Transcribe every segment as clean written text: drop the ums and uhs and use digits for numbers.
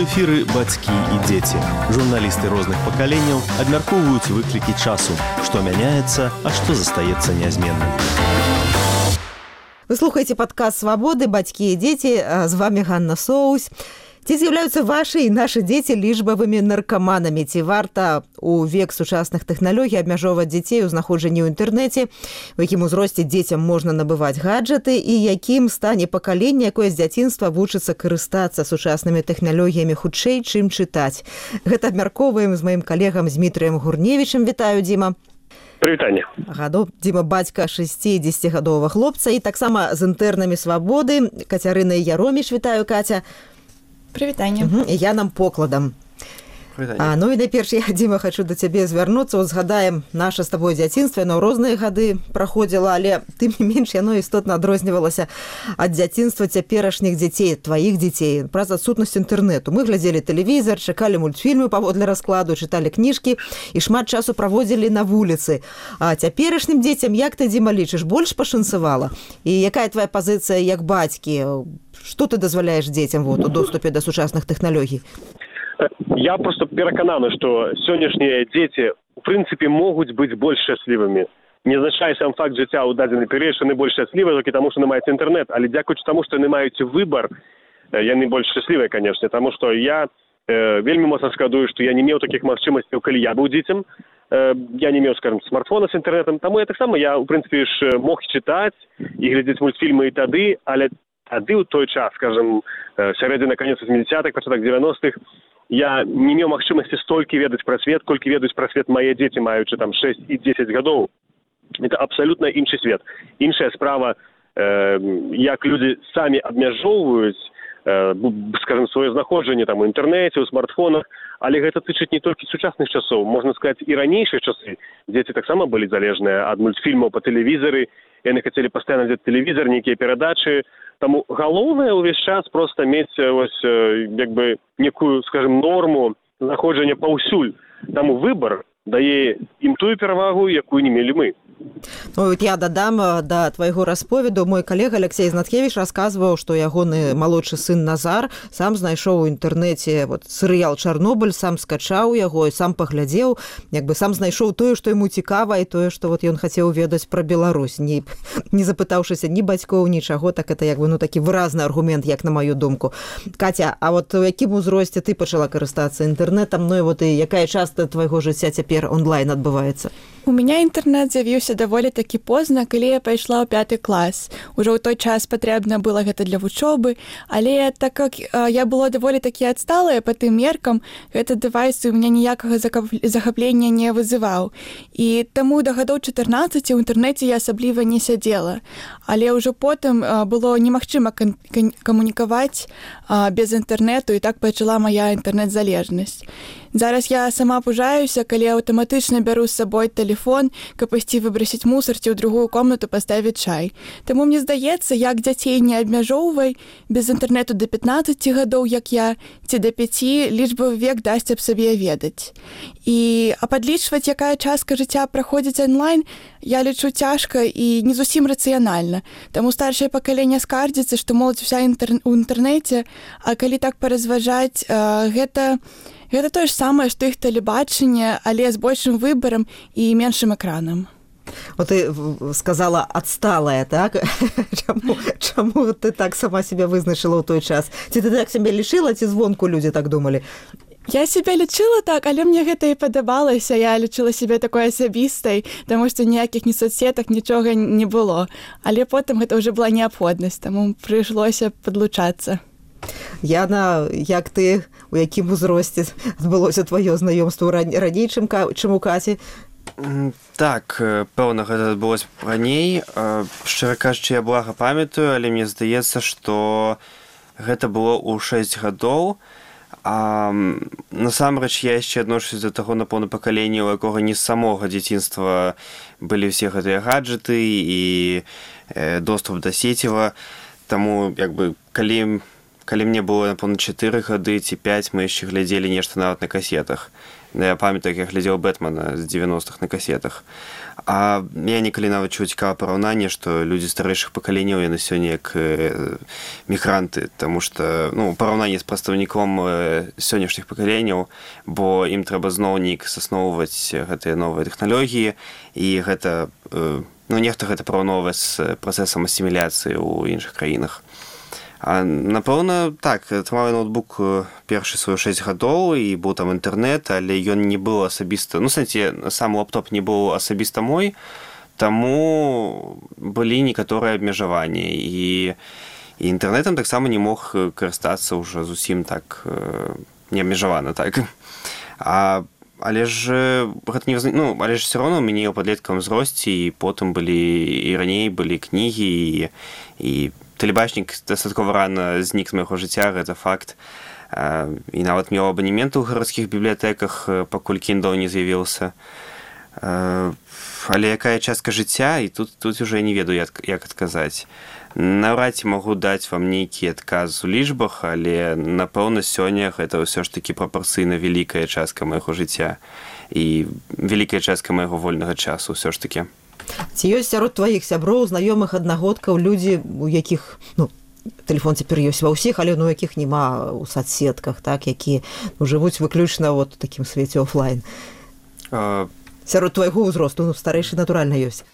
эфіры бацькі і дзеці. Журналісты розных пакаленняў абмяркоўваюць выклікі часу, што мяняецца, а што застаецца нязменным. Вы слухаеце падкаст «Свабоды. Бацькі і дзеці». З вами Ганна Соусь. Ці з'яўляюцца вашы і нашы дзеці лічбавымі наркаманамі? Ці варта у век сучасных тэхналогій абмяжоўваць дзяцей у знаходжанні ў інтэрнэце? У якім узросце дзецям можна набываць гаджеты? І якім стане пакаленне, якое з дзяцінства вучыцца карыстацца сучаснымі тэхналогіямі хутчэй, чым чытаць? Гэта абмяркоўваем з маім калегам Змітрыем Гурневічам. Вітаю, Дзіма. Прывітанне. Дзіма бацька 60-гадовага хлопца і таксама з інтэрнамі «Свабоды». Кацярына Яроміш. Вітаю, Каця. Прывітанне. Я нам покладам. Ну і найперш я, Дзіма, хочу до цябе звярнуцца. Згадаем наше з табой дзяцінства, яно ў розныя гады праходзіла, але тым не менш яно істотна адрознівалася ад дзяцінства цяперашніх дзяцей, тваіх дзяцей, праз адсутнасць інтэрнэту. Мы глядзелі тэлевізар, чакалі мультфільмы паводле раскладу, чыталі кніжкі і шмат часу праводзілі на вуліцы. А цяперашнім дзецям, як ты, Дзіма, лічыш, больш пашанцавала? І якая твая пазіцыя як бацькі? Што ты дазваляеш дзецям у доступе да сучасных тэхналогій? Я просто перакананы, што сённяшнія дзеці у прынцыпе могуць быць больш шчаслівымі. Не азначае сам факт жыцця ў дадзены перыяд, што яны больш шчаслівыя толькі таму, што яны маюць інтэрнэт, але дзякуючы таму, што яны маюць выбар, яны больш шчаслівыя, канешне, таму што я вельмі моцна шкадую, што я не меў такіх магчымасцяў, калі я быў дзіцем. Я не меў, скажем, смартфона з інтэрнэтам, таму я таксама у прынцыпе ж мог чытаць і глядзець мультфільмы і тады, але тады ў той час, скажем, сярэдзіна канец 80-х, пачатак 90-х, я не меў магчымасці столькі ведаць пра свет, колькі ведаюць пра свет мае дзеці, маючы там 6 і 10 гадоў. Это абсалютна іншы свет. Іншая справа, як людзі самі абмяжоўваюць, скажем, сваё знаходжанне там у інтэрнэце, у смартфонах, але гэта тычыць не толькі сучасных часоў, можна сказаць, і ранейшыя часы. Дзеці таксама былі залежныя ад мультфільмаў па тэлевізары, яны хацелі пастаянна глядзець тэлевізар, нейкія перадачы. Таму галоўнае ўвесь час проста мець як бы некую, скажем, норму знаходжання паўсюль. Таму выбар дае ім тую перавагу, якую не мелі мы. Ну, я дадам да твайго расповеду. Мой калега Алексей Знаткевіч расказваў, што ягоны малодшы сын Назар сам знайшоў у інтэрнэце серыял «Чарнобыль», сам скачаў яго і сам паглядзеў, як бы сам знайшоў тое, што яму цікава, і тое, што ён хацеў ведаць пра Беларусь, не запытаўшыся ні бацькоў, нічаго. Так это як бы такі выразны аргумент, як на маю думку. Катя, а у якім узросце ты пачала карыстацца інтэрнэтам? Ну і якая частка твайго жыцця цяпер онлайн адбываецца? У мяне інтэрнэт з'явіўся даволі такі позна, калі я пайшла ў 5 клас. Ужо ў той час патрэбна было гэта для вучобы, але так як я была даволі такі адсталая па тым меркам, гэты дэвайс у мяне ніякага захаплення не вызываў. І таму да гадоў 14 у інтэрнэце я асабліва не сядзела. Але ўжо потым было немагчыма камунікаваць без інтэрнэту, і так пачала мая інтэрнэт-залежнасць. Зараз я сама пужаюся, калі аўтаматычна бяру з сабой тэлефон, каб ісці выбрасіць мусар ці ў другую комнату паставіць чай. Таму мне здаецца, як дзяцей не абмяжоўвай, без інтэрнэту да 15 гадоў, як я, ці да 5, лічбавы век дасць аб сабе ведаць. А падлічваць, якая частка жыцця праходзіць онлайн, я лічу цяжка і не зусім рацыянальна. Таму старшае пакаленне скардзіцца, што моладзь уся ў інтэрнэце, а калі так паразважаць, гэта тое ж самае, што іх тэлебачанне, але з большым выбарам і меншым экранам. Ты сказала адсталая, так? Чаму ты так сама себе вызначыла ў той час? Ці ты так себе лічыла, ці звонку людзі так думалі? Я себе лічыла так, але мне гэта і падабалася. Я лічыла себе такой асабістай, таму што ніякіх ні соцсетак, нічога не было. Але потым гэта ўжо была неабходнасць, таму прыйшлося падлучацца. Яна, як ты, у якім узросце адбылося тваё знаёмство раней, чым у Каці? Так, пэўна, гэта адбылося раней. Шчыра кажучы, я блага памятаю, але мне здаецца, што гэта было ў 6 гадоў. Насамрэч, я яшчэ адношусь да таго, напэўна, пакалення, у якога не з самога дзяцінства былі ўсе гэтыя гаджеты і доступ да сеціва. Таму, як бы, калі калі мне было, напэўна, 4 гады ці 5, мы яшчэ глядзелі нешта нават на касетах. Я памятаю, як я глядзеў Бэтмена з 90-х на касетах. А я некалі нават чуў цікавае параўнанне, што людзі старэйшых пакаленняў, яны сёння як мігранты, таму што, ну, параўнанне з прадстаўніком сённяшніх пакаленняў, бо ім трэба зноў неяк засноўваць гэтыя новыя тэхналогіі, і гэта, ну, нехта гэта параўноўвае з працэсам асіміляцыі ў іншых краінах. А, напэўна, так, атрымаў ноутбук першы свой 6 гадоў, і быў там інтэрнэт, але ён не быў асабіста, ну, сэнсе, сам лаптоп не быў асабіста мой, таму былі некаторыя абмежаванні, і інтэрнэтам таксама не мог карыстацца ўжо зусім так неабмежавана, так. Але ж гэта не ну, але ж все роўно у мяне ў падлеткавым узросце, і потым былі, і раней былі кнігі, і тэлебачнік дастаткова рана знік з майго жыцця, гэта факт. І нават меў абанемент у гарадскіх бібліятэках, пакуль Kindle не з'явіўся. Але якая частка жыцця, і тут уже не ведаю, як адказаць. Наўрад ці магу даць вам нейкі адказ у лічбах, але, напэўна, сёння гэта ўсё ж такі прапарцыйна вялікая частка майго жыцця і вялікая частка майго вольнага часу ўсё ж такі. Ці ёсць сярод тваіх сяброў, знаёмых, аднагодкаў людзі, у якіх, ну, тэлефон цяпер ёсць ва ўсіх, але ну, якіх няма ў соцсетках, так, якія жывуць выключна вот у такім свеце офлайн? Сярод твайго ўзросту, ну, старэйшы, натуральна, ёсць.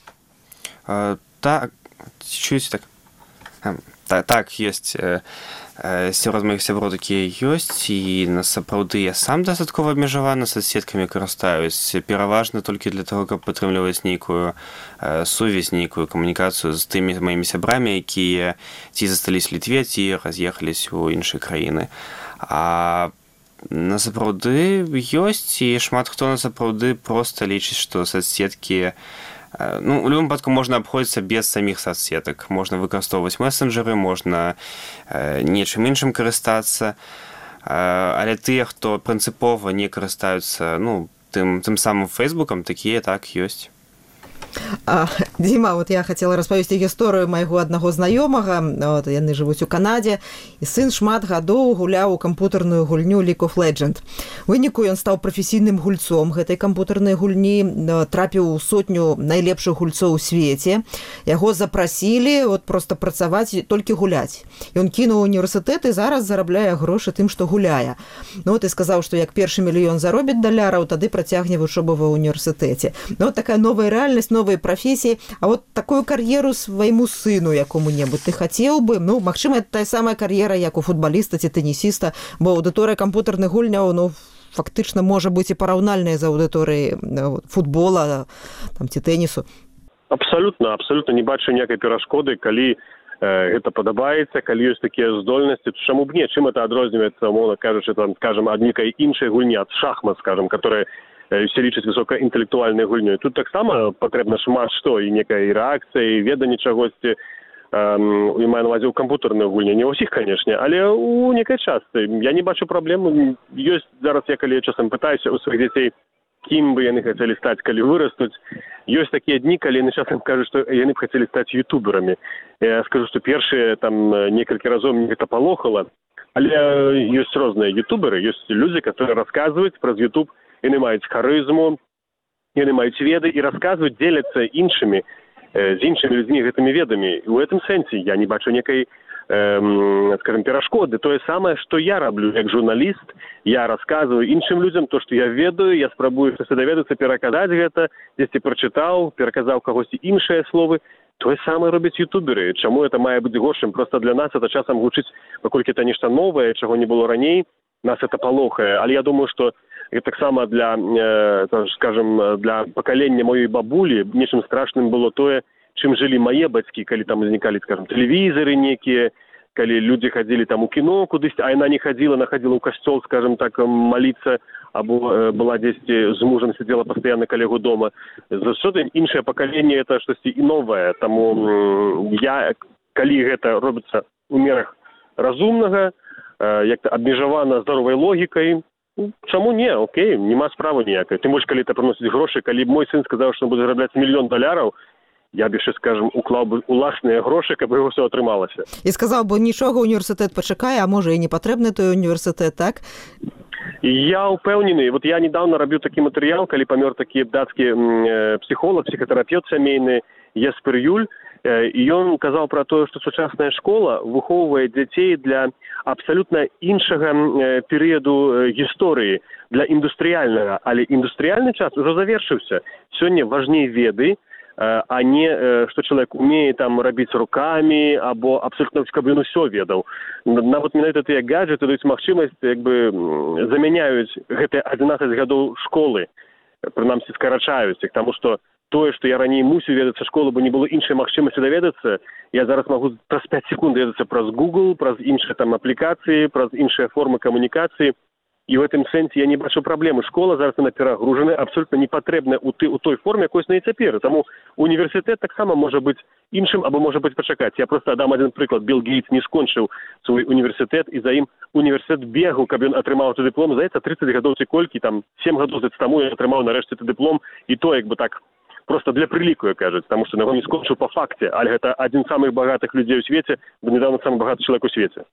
Так, чуеце так? Так, ёсць. Сярод маіх сяброў такія ёсць, і насапраўды я сам дастаткова абмежавана соцсеткамі карыстаюсь, пераважна толькі для таго, каб падтрымліваць нейкую сувязь, нейкую камунікацыю з тымі маімі сябрамі, якія ці засталіся Літве, ці раз'ехаліся ў іншыя краіны. А насапраўды ёсць, і шмат хто насапраўды проста лічыць, што соцсеткі, ну, у любым выпадку можна абходзіцца без саміх соцсетак. Можна выкарыстоўваць месенджеры, можна нечым іншым карыстацца, але тыя, хто прынцыпова не карыстаюцца, ну, тым самым Фейсбукам, такія так ёсць. Дзіма, вот я хацела распавесці гісторыю майго аднаго знаёмага, вот, яны жывуць у Канадзе, і сын шмат гадоў гуляў у кампутарную гульню League of Legends. У выніку ён стаў прафесійным гульцом гэтай кампутарнай гульні, трапіў у 100 найлепшых гульцоў у свеце. Яго запрасілі вот проста працаваць, толькі гуляць. Ён кінуў універсітэт і зараз зарабляе грошы тым, што гуляе. Ну вот і сказаў, што як першы мільён заробіць даляраў, тады працягне вучобу ва універсітэце. Ну вот такая новая рэальнасць, новыя прафесіі. А вот такую кар'еру свайму сыну якому-небудзь ты хацеў бы? Ну, магчыма, это тая самая кар'ера, як у футбаліста ці тэнісіста, бо аўдыторыя кампутарных гульняў, ну, фактычна можа быць і параўнальная з аўдыторыяй футбола там, ці тэнісу. Абсалютна не бачу ніякай перашкоды, калі гэта падабаецца, калі ёсць такія здольнасці, чаму б не, чым это адрозніваецца, умоўна кажучы, там, скажем, ад нейкай іншай гульні, ад шахмат, скажем, которая все лічаць высокаінтэлектуальнай гульнёй. Тут таксама патрэбна шмат што, і некая рэакцыя, і веданне чагосьці, і маю на ўвазе ў кампутарнай гульні. Не ўсіх, канешне, але у некай частцы. Я не бачу праблем. Ёсць зараз, я калі часам пытаюся у сваіх дзяцей, кім бы яны хацелі стаць, калі вырастуць. Ёсць такія дні, калі яны часам кажуць, што яны б хацелі стаць ютуберамі. Я скажу, што першыя там некалькі разоў мне гэта палохала, але ёсць розныя ютуберы, ёсць людзі, которые расказваюць праз ютуб, яны маюць харызму, яны маюць веды і расказваюць, дзеляцца іншымі, з іншымі людзьмі гэтымі ведамі. І ў гэтым сэнсе я не бачу некай, скажем, перашкоды. Тое самае, што я раблю як журналіст, я расказваю іншым людзям то, што я ведаю, я спрабую штосьці даведацца, пераказаць гэта, дзесьці прачытаў, пераказаў кагосьці іншыя словы. Тое самае робяць ютуберы. Чаму это мае быць горшым? Проста для нас это часам гучыць, паколькі это нешта новае, чаго не было раней, нас это палохае. Але я думаю, што і таксама для, скажем, для пакалення маёй бабулі нечым страшным было тое, чым жылі мае бацькі, калі там узнікалі, скажем, тэлевізары некія, калі людзі хадзілі там у кіно кудысьці, а яна не хадзіла, она хадзіла ў касцёл, скажем так, маліцца, або была дзесьці з мужам сидзела пастаянна каля яго дома. Заўсёды іншае пакаленне это штосьці і новае. Таму я, калі гэта робіцца ў мерах разумнага, як-то абмежавана здаровай логікай, чаму не? Окей, нема справы ніякай. Тым больш, калі это прыносіць грошы, калі мой сын сказаў, што он будзе зарабляць $1 000 000, я б яшчэ, скажем, уклаў бы уласныя грошы, каб яго ўсё атрымалася. І сказаў бы, нічога, універсітэт пачакае, а можа і не патрэбны той універсітэт, так? Я упэўнены, вот я недавно рабіў такі матэрыял, калі памёр такі дацкі псіхолог, псіхатэрапевт сямейны Еспер Юль, і ён казаў пра тое, што сучасная школа выхоўвае дзяцей для абсалютна іншага перыяду гісторыі, для індустрыяльнага, але індустрыяльны час ужо завершыўся. Сёння важней веды, а не што чалавек умее там рабіць рукамі або абсолютно, каб ён усё ведаў. Нават менавіта тыя гаджеты даюць магчымасць, як бы замяняюць гэтыя 11 гадоў школы, прынамсі скарачаюць іх, таму што тое, што я раней мусіў ведацца школу, бо не было іншай магчымасці даведацца, я зараз магу праз 5 секунд даведацца праз Google, праз іншыя там аплікацыі, праз іншыя формы камунікацыі. І ў гэтым сэнсе я не бачу праблемы. Школа зараз яна перагружаная, абсолютна не патрэбная ў той форме, якой на і цяпер. Таму універсітэт таксама можа быць іншым або можа быць пачакаць. Я проста дам адзін прыклад. Билл Гейтс не скончыў свой універсітэт, і за ім універсітэт бегаў, каб ён атрымаў той дыплом. Здаецца, 30 гадоў ці колькі, там 7 гадоў таму ён атрымаў нарэшце той дыплом, і то як бы так просто для прыліку, як кажуць, таму што яго не скончыў па факце, але гэта адзін з самых багатых людзей у свеце, бо недавно самы багаты чалавек у свеце.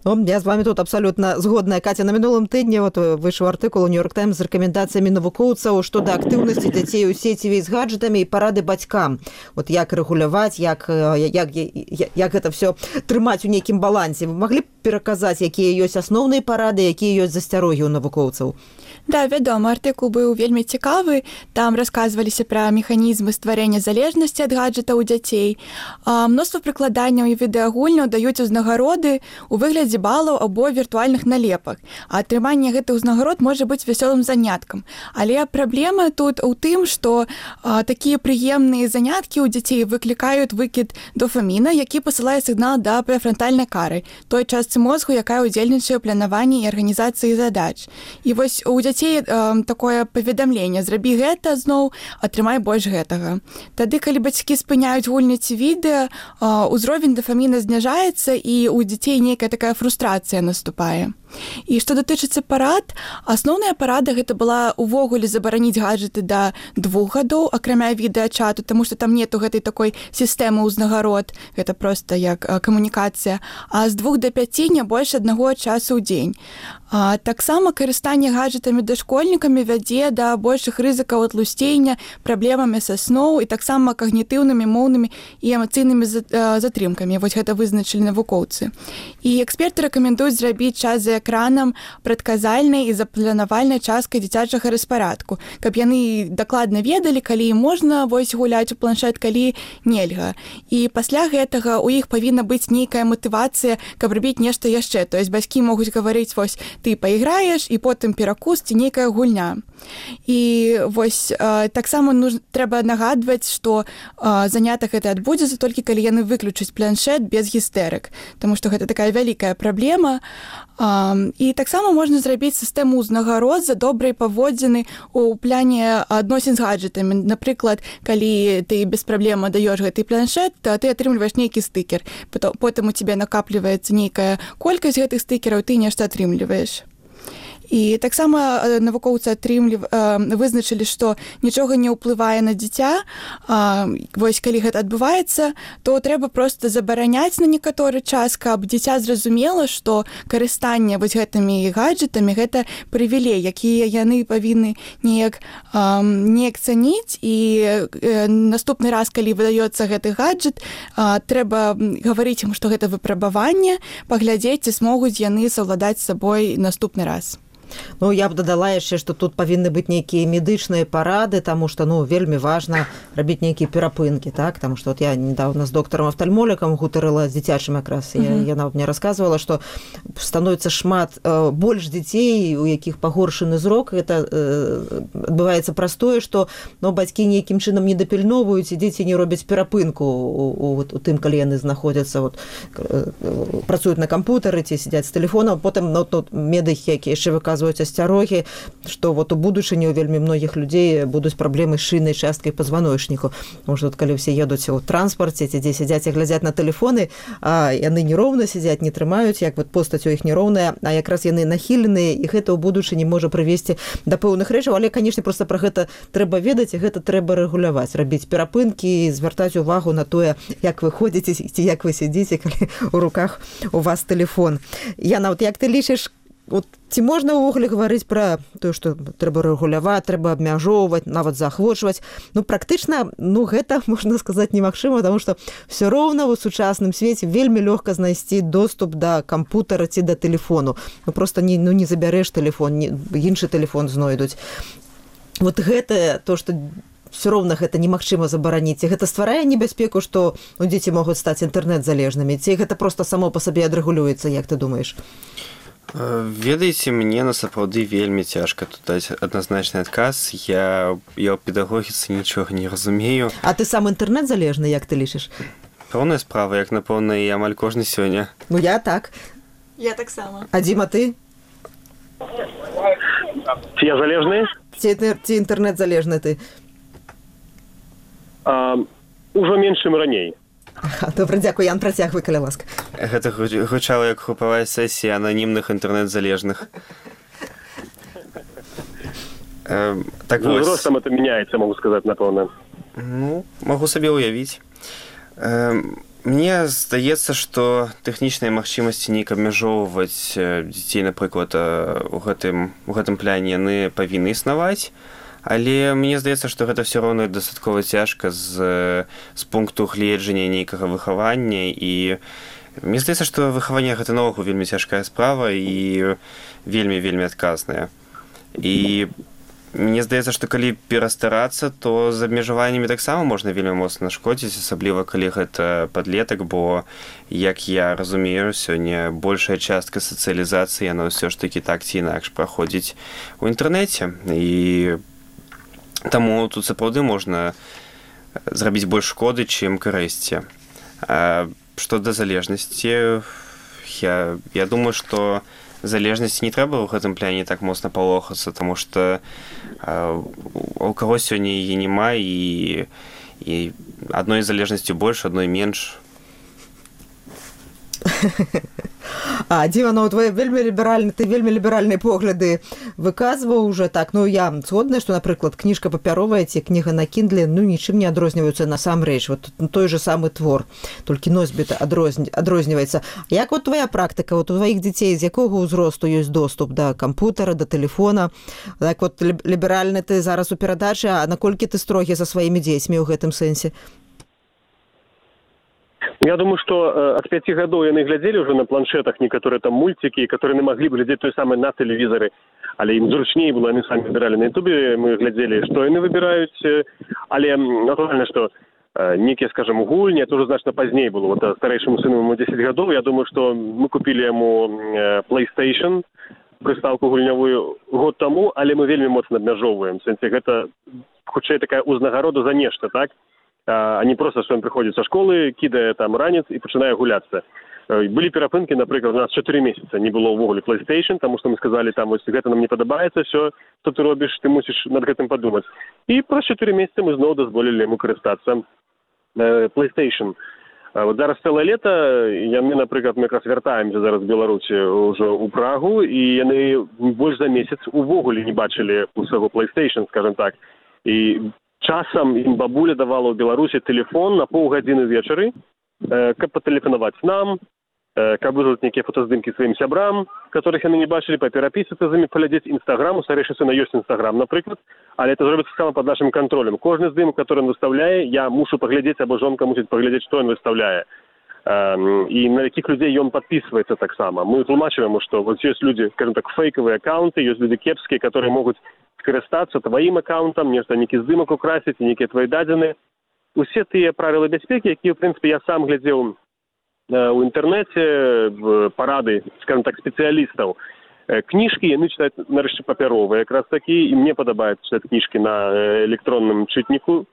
Ну, я з вами тут абсолютно згодная. Катя, на мінулым тыдні вот выйшаў артыкул у Нью-Йорк Таймс з рэкамендацыямі навукоўцаў што да актыўнасці дзяцей у сеціве з гаджетамі і парады бацькам. Вот як рэгуляваць, як гэта все трымаць у нейкім балансе. Вы маглі б пераказаць, якія ёсць асноўныя парады, якія ёсць засцярогі ў навукоўцаў? Да, вядома, артыкул быў вельмі цікавы. Там расказваліся пра механізмы стварэння залежнасці ад гаджета ў дзяцей. Мноства прыкладанняў і відэагульняў даюць узнагароды у выглядзе балаў або віртуальных налепак. А атрыманне гэтых узнагарод можа быць вясёлым заняткам. Але праблема тут у тым, што такія прыемныя заняткі ў дзяцей выклікаюць выкід дофаміна, які пасылае сігнал да прэфрантальнай кары, той частцы мозгу, якая ўдзельнічае ў планаванні і арганізацыі задач. І вось у дзяцей такое паведамленне: зрабі гэта зноў, атрымай больш гэтага. Тады, калі бацькі спыняюць гульні ці відэа, узровень дофаміна зніжаецца, і у дзяцей нейкая такая фрустрацыя наступае. І што датычыцца парад, асноўная парада гэта была увогуле забараніць гаджеты да 2 гадоў, акрамя відэачату, таму што там нету гэтай такой сістэмы ўзнагарод, гэта проста як камунікацыя, а з 2 да 5 не больш 1 часу ў дзень. Таксама карыстанне гаджетамі дашкольнікамі вядзе да большых рызыкаў атлусцення, праблемамі са сноў і таксама кагнітыўнымі, моўнымі і эмацыйнымі затрымкамі. Вось гэта вызначылі навукоўцы. І эксперты рэкамендуюць зрабіць час за экранам прадказальнай і запланавальнай часткай дзіцячага распарадку, каб яны дакладна ведалі, калі можна вось гуляць у планшет, калі нельга. І пасля гэтага у іх павінна быць нейкая матывацыя, каб рабіць нешта яшчэ. То есть бацькі могуць гаварыць: вось ты пайграеш, і потым перакус ці нейкая гульня. І вось таксама трэба нагадваць, што занятак гэта адбудзецца толькі калі яны выключаць планшет без гістэрык, таму што гэта такая вялікая праблема. І таксама можна зрабіць сістэму ўзнагарод за добрыя паводзіны ў пляне адносін з гаджетамі. Напрыклад, калі ты без праблем даёш гэты планшет, то ты атрымліваеш нейкі стыкер. Потым у цябе накапліваецца нейкая колькасць гэтых стыкераў, ты нешта атрымліваеш. І таксама навукоўцы вызначылі, што нічога не ўплывае на дзіця. Вось калі гэта адбываецца, то трэба проста забараняць на некаторы час, каб дзіця зразумела, што карыстанне вось гэтымі гаджетамі гэта прывілей, якія яны павінны неяк цаніць. І наступны раз, калі выдаецца гэты гаджет, трэба гаварыць ім, што гэта выпрабаванне, паглядзець, ці змогуць яны саўладаць з сабой наступны раз. Ну, я б дадала яшчэ, што тут павінны быць нейкія медычныя парады, таму што, вельмі важна рабіць нейкія перапынкі, так? Таму што я недавно з доктарам-афтальмолікам гутарыла з дзіцячым якраз. Яна мне расказвала, што становіцца шмат больш дзяцей, у якіх пагоршаны зрок. Гэта адбываецца праз тое, што бацькі нейкім чынам не дапільноўваюць, і дзеці не робяць перапынку у тым, калі яны знаходзяцца, працуюць на кампутары ці сядзяць з тэлефонам. Потым медыкі, якія яшчэ выказваюць расказваюць асцярогі, што вот у будучыні у вельмі многіх людзей будуць праблемы з шыйнай часткай пазваночніку. Можа, калі ўсе едуць у транспарце, ці дзе сядзяць і глядзяць на тэлефоны, а яны нероўна сядзяць, не трымаюць, як вот постаць у іх нероўная, а якраз яны нахіленыя, і гэта ў будучыні можа прывесці да пэўных рэчаў, але, канешне, проста пра гэта трэба ведаць, і гэта трэба рэгуляваць, рабіць перапынкі, звяртаць увагу на тое, як вы ходзіце, ці як вы сядзіце, калі у руках у вас тэлефон. Яна, вот як ты лічыш, вот, ці можна ўвогуле гаварыць пра тое, што трэба рэгуляваць, трэба абмяжоўваць, нават заахвочваць? Практычна, гэта, можна сказаць, немагчыма, таму што ўсё роўна ў сучасным свеце вельмі лёгка знайсці доступ да кампутара ці да тэлефону. Проста не забярэш тэлефон, іншы тэлефон знойдуць. Вот гэта то, што все роўна гэта немагчыма забараніць. Гэта стварае небяспеку, што дзеці могуць стаць інтэрнэт-залежнымі? Ці гэта проста само па сабе адрэгулюецца, як ты думаеш? Ведаеце, мне насапраўды вельмі цяжка тут даць адназначны адказ. Я ў педагогіцы нічога не разумею. А ты сам інтэрнэт-залежны, як ты лічыш? Пэўная справа, як, напэўна, і амаль кожны сёння. Я так. Я таксама. А Дзіма, ты? Ці я залежны? Ці інтэрнэт-залежны ты? Ужо менш, чым раней. Добра, дзякуй. Ян, працягвай, каля ласка. Гэта гучала як групавая сесія ананімных інтэрнэт-залежных. Так вось. Ростам это мяняецца, могу сказаць, напэўна. Магу сабе ўявіць. Мне здаецца, што тэхнічныя магчымасці неяк абмяжоўваць дзяцей, напрыклад, у гэтым пляне яны павінны існаваць. Але мне здаецца, што гэта ўсё роўна дастаткова цяжка з пункту гледжання нейкага выхавання. І мне здаецца, што выхаванне гэта наогул вельмі цяжкая справа і вельмі адказная. І мне здаецца, што калі перастарацца, то з абмежаваннямі таксама можна вельмі моцна нашкодзіць, асабліва калі гэта падлетак, бо, як я разумею, сёння большая частка сацыялізацыі, яна ўсё ж такі так ці інакш праходзіць у інтэрнэце. І таму тут сапраўды можна зрабіць больш шкоды, чым карысці. Што да залежнасці, я думаю, што залежнасці не трэба ў гэтым пляне так моцна палохацца, таму што у каго сёння яе няма, і адной залежнасцю больш, адной менш. Дзіма, ты вельмі ліберальныя погляды выказваў уже так. Я згодная, што, напрыклад, кніжка папяровая ці кніга на Kindle нічым не адрозніваюцца насамрэч. Той же самы твор, толькі носьбіт адрозніваецца. Як твоя практыка, у тваіх дзяцей з якога ўзросту ёсць доступ да кампутара, да тэлефона? Так ліберальны ты зараз у перадачы, а наколькі ты строгі за сваімі дзецьмі ў гэтым сэнсе? Я думаю, што ад 5 гадоў яны глядзелі ўжо на планшетах некаторыя там мульцікі, которые не маглі бы глядзець той самы на тэлевізары, але ім зручней было, яны самі выбіралі на ютубе, мы глядзелі, што яны выбіраюць, але натуральна, што некія, скажем, гульні, это уже значна пазней было. Старэйшаму сыну ему 10 гадоў, я думаю, што мы купілі яму PlayStation, прыстаўку гульнявую год таму, але мы вельмі моцна абмяжоўваем. Гэта хутчэй такая узнагарода за нешта, так? А не просто, что он приходит со школы, кидает там ранец и начинает гуляться. Были перапынки, например, у нас 4 месяца не было увогуле PlayStation, потому что мы сказали, там, если это нам не подобается, все, что ты робишь, ты мусишь над этим подумать. И про 4 месяца мы снова дозволили ему користаться PlayStation. Вот зараз цэлае лето, мы, например, мы как раз вяртаемся зараз в Беларусі уже у Прагу, и яны больше за месяц увогуле не бачили у свайго PlayStation, скажем так. И часам ім бабуля давала ў Беларусі тэлефон на паўгадзіны вечары, каб патэлефанаваць нам, каб вызваць нейкія фотаздымкі сваім сябрам, которых яны не бачылі, паперапісацца з імі, паглядзець Інстаграм. У старэйшы сына ёсць Інстаграм, напрыклад, але это зробіцца сама пад нашым кантролем. Кожны здымак, который он выставляе, я мушу паглядзець, або жонка мусіць паглядзець, што ён выставляе. І на якіх людзей ён падпісваецца таксама. Мы тлумачым яму, што вот ёсць людзі, скажем так, фейкавыя аккаунты, ёсць людзі кепскія, которые могуць скарыстацца тваім аккаунтам, нешта нейкі здымак украсіць, нейкія твои дадзены. Усе тыя правілы бяспекі, якія, в прынцыпе, я сам глядзеў у інтэрнэце, парады, скажем так, спецыялістаў. Кніжкі яны чытаюць нарэшце папяровыя, якраз такі, і мне падабаецца чытаць кніжкі на электронным чытніку.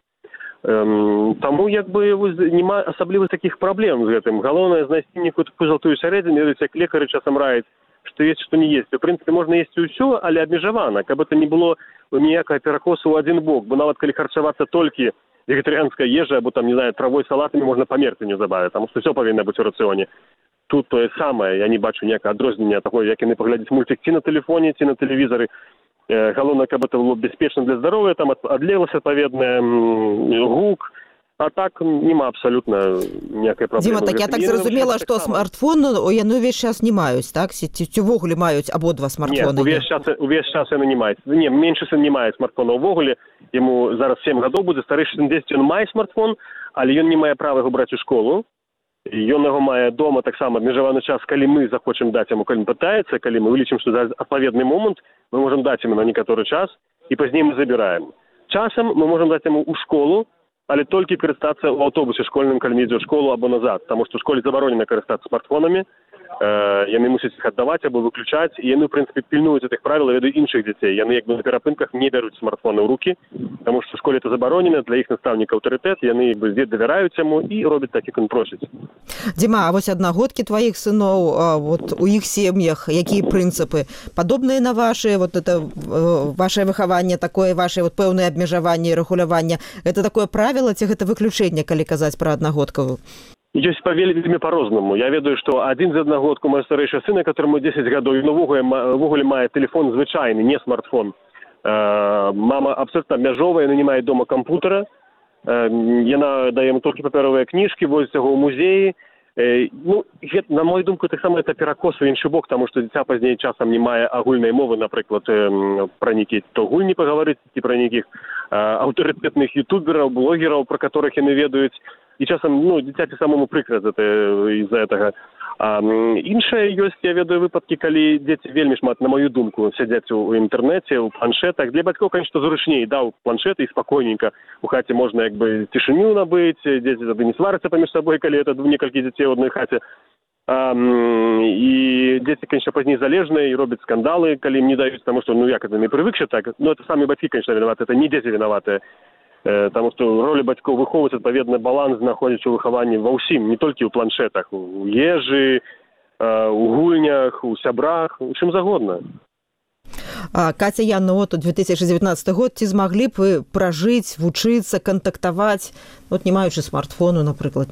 Таму як бы няма асаблівых такіх праблем з гэтым. Галоўнае знайсці некую такую золотую сярэдзіну, як лекары часам раяць. што есці, што не есці. У прынцыпе, можна есці ўсё, але абмежавана, каб это не было ніякага перакосу ў адзін бок, бо нават калі харчавацца толькі вегетарыянская ежа, або там, не знаю, травой, салатамі можна памерці неўзабаве, таму што ўсё павінна быць у рацыёне. Тут тое самае, я не бачу ніякага адрознення таго, як яны паглядзяць мультик ці на тэлефоне, ці на тэлевізары. Галоўнае, каб это было бяспечна для здароўя, там адлегласць адпаведная, гук, а так няма абсалютна ніякай праблемы. Дзіма, так я так зразумела, што смартфон яны ўвесь час не маюць, так? Ці ўвогуле маюць абодва смартфоны? Не, увесь час яны не маюць. Не, меншы сын не мае смартфона ўвогуле, яму зараз 7 гадоў будзе, старэйшы сын 10, ён мае смартфон, але ён не мае права яго браць у школу. Ён яго мае дома таксама абмежаваны час, калі мы захочам даць яму, калі пытаецца, калі мы вылічым, што за адпаведны момант мы можам даць яму на некаторы час і пазней мы забіраем. Часам мы можам даць яму ў школу, але толькі карыстацца ў аўтобусе школьным, калі ідзе ў школу або назад, таму што ў школе забаронена карыстацца смартфонамі, яны мусяць іх аддаваць або выключаць, і яны, ў прынцыпе, пільнуюць гэтых правіл, ведаюць іншых дзяцей. Яны як бы на перапынках не бяруць смартфоны ў рукі, таму што ў школе это забаронена, для іх настаўніка аўтарытэт, яны як бы давяраюць яму і робяць так, як ён просіць. Дзіма, а вось аднагодкі тваіх сыноў, вот у іх сем'ях, якія прынцыпы? Падобныя на вашы, вот это ваше выхаванне, такое ваше вот пэўнае абмежаванне і рэгуляванне, это такое правіла ці гэта выключэнне, калі казаць пра аднагодкавую? Ёсць вельмі па-рознаму. Я ведаю, што адзін з аднагодку мой старэйшы сын, которому 10 гадоў, ён увогуле мае тэлефон звычайны, не смартфон. Мама абсолютно абмяжовая, яна не мае дома кампутара. Яна дае яму толькі папяровыя кніжкі, возіць яго ў музеі. Ну, на мою думку, таксама это перакос у іншы бок, таму што дзіця пазней часам не мае агульнай мовы, напрыклад, пра нейкія то гульні пагаварыць, ці пра нейкіх аўтарытэтных ютубераў, блогераў, пра которых яны ведаюць. І часам, ну, дзіцяці самому прыкра з-за гэтага. Іншае ёсць, я ведаю выпадкі, калі дзеці вельмі шмат, на мою думку, сядзяць у інтэрнэце, у планшетах. Для бацькоў, конечно, зручней, даў планшеты і спакойненька. У хаце можна як бы цішыню набыць, дзеці тады не сварацца паміж сабой, калі это некалькі дзяцей у адной хаце. І дзеці, конечно, пазней залежныя і робяць скандалы, калі ім не даюць, таму што, ну, як это, не прывыкшы так. Ну, это самі бацькі, конечно, вінаваты, это не дзеці вінаватыя. Таму што роля бацькоў выхоўваць адпаведны баланс, знаходзіць у выхаванні ва ўсім, не толькі ў планшетах, у ежы, у гульнях, у сябрах, у чым загодна. Каця, Яна, вот 2019 год, ці змаглі б вы пражыць, вучыцца, кантактаваць, вот не маючы смартфону, напрыклад?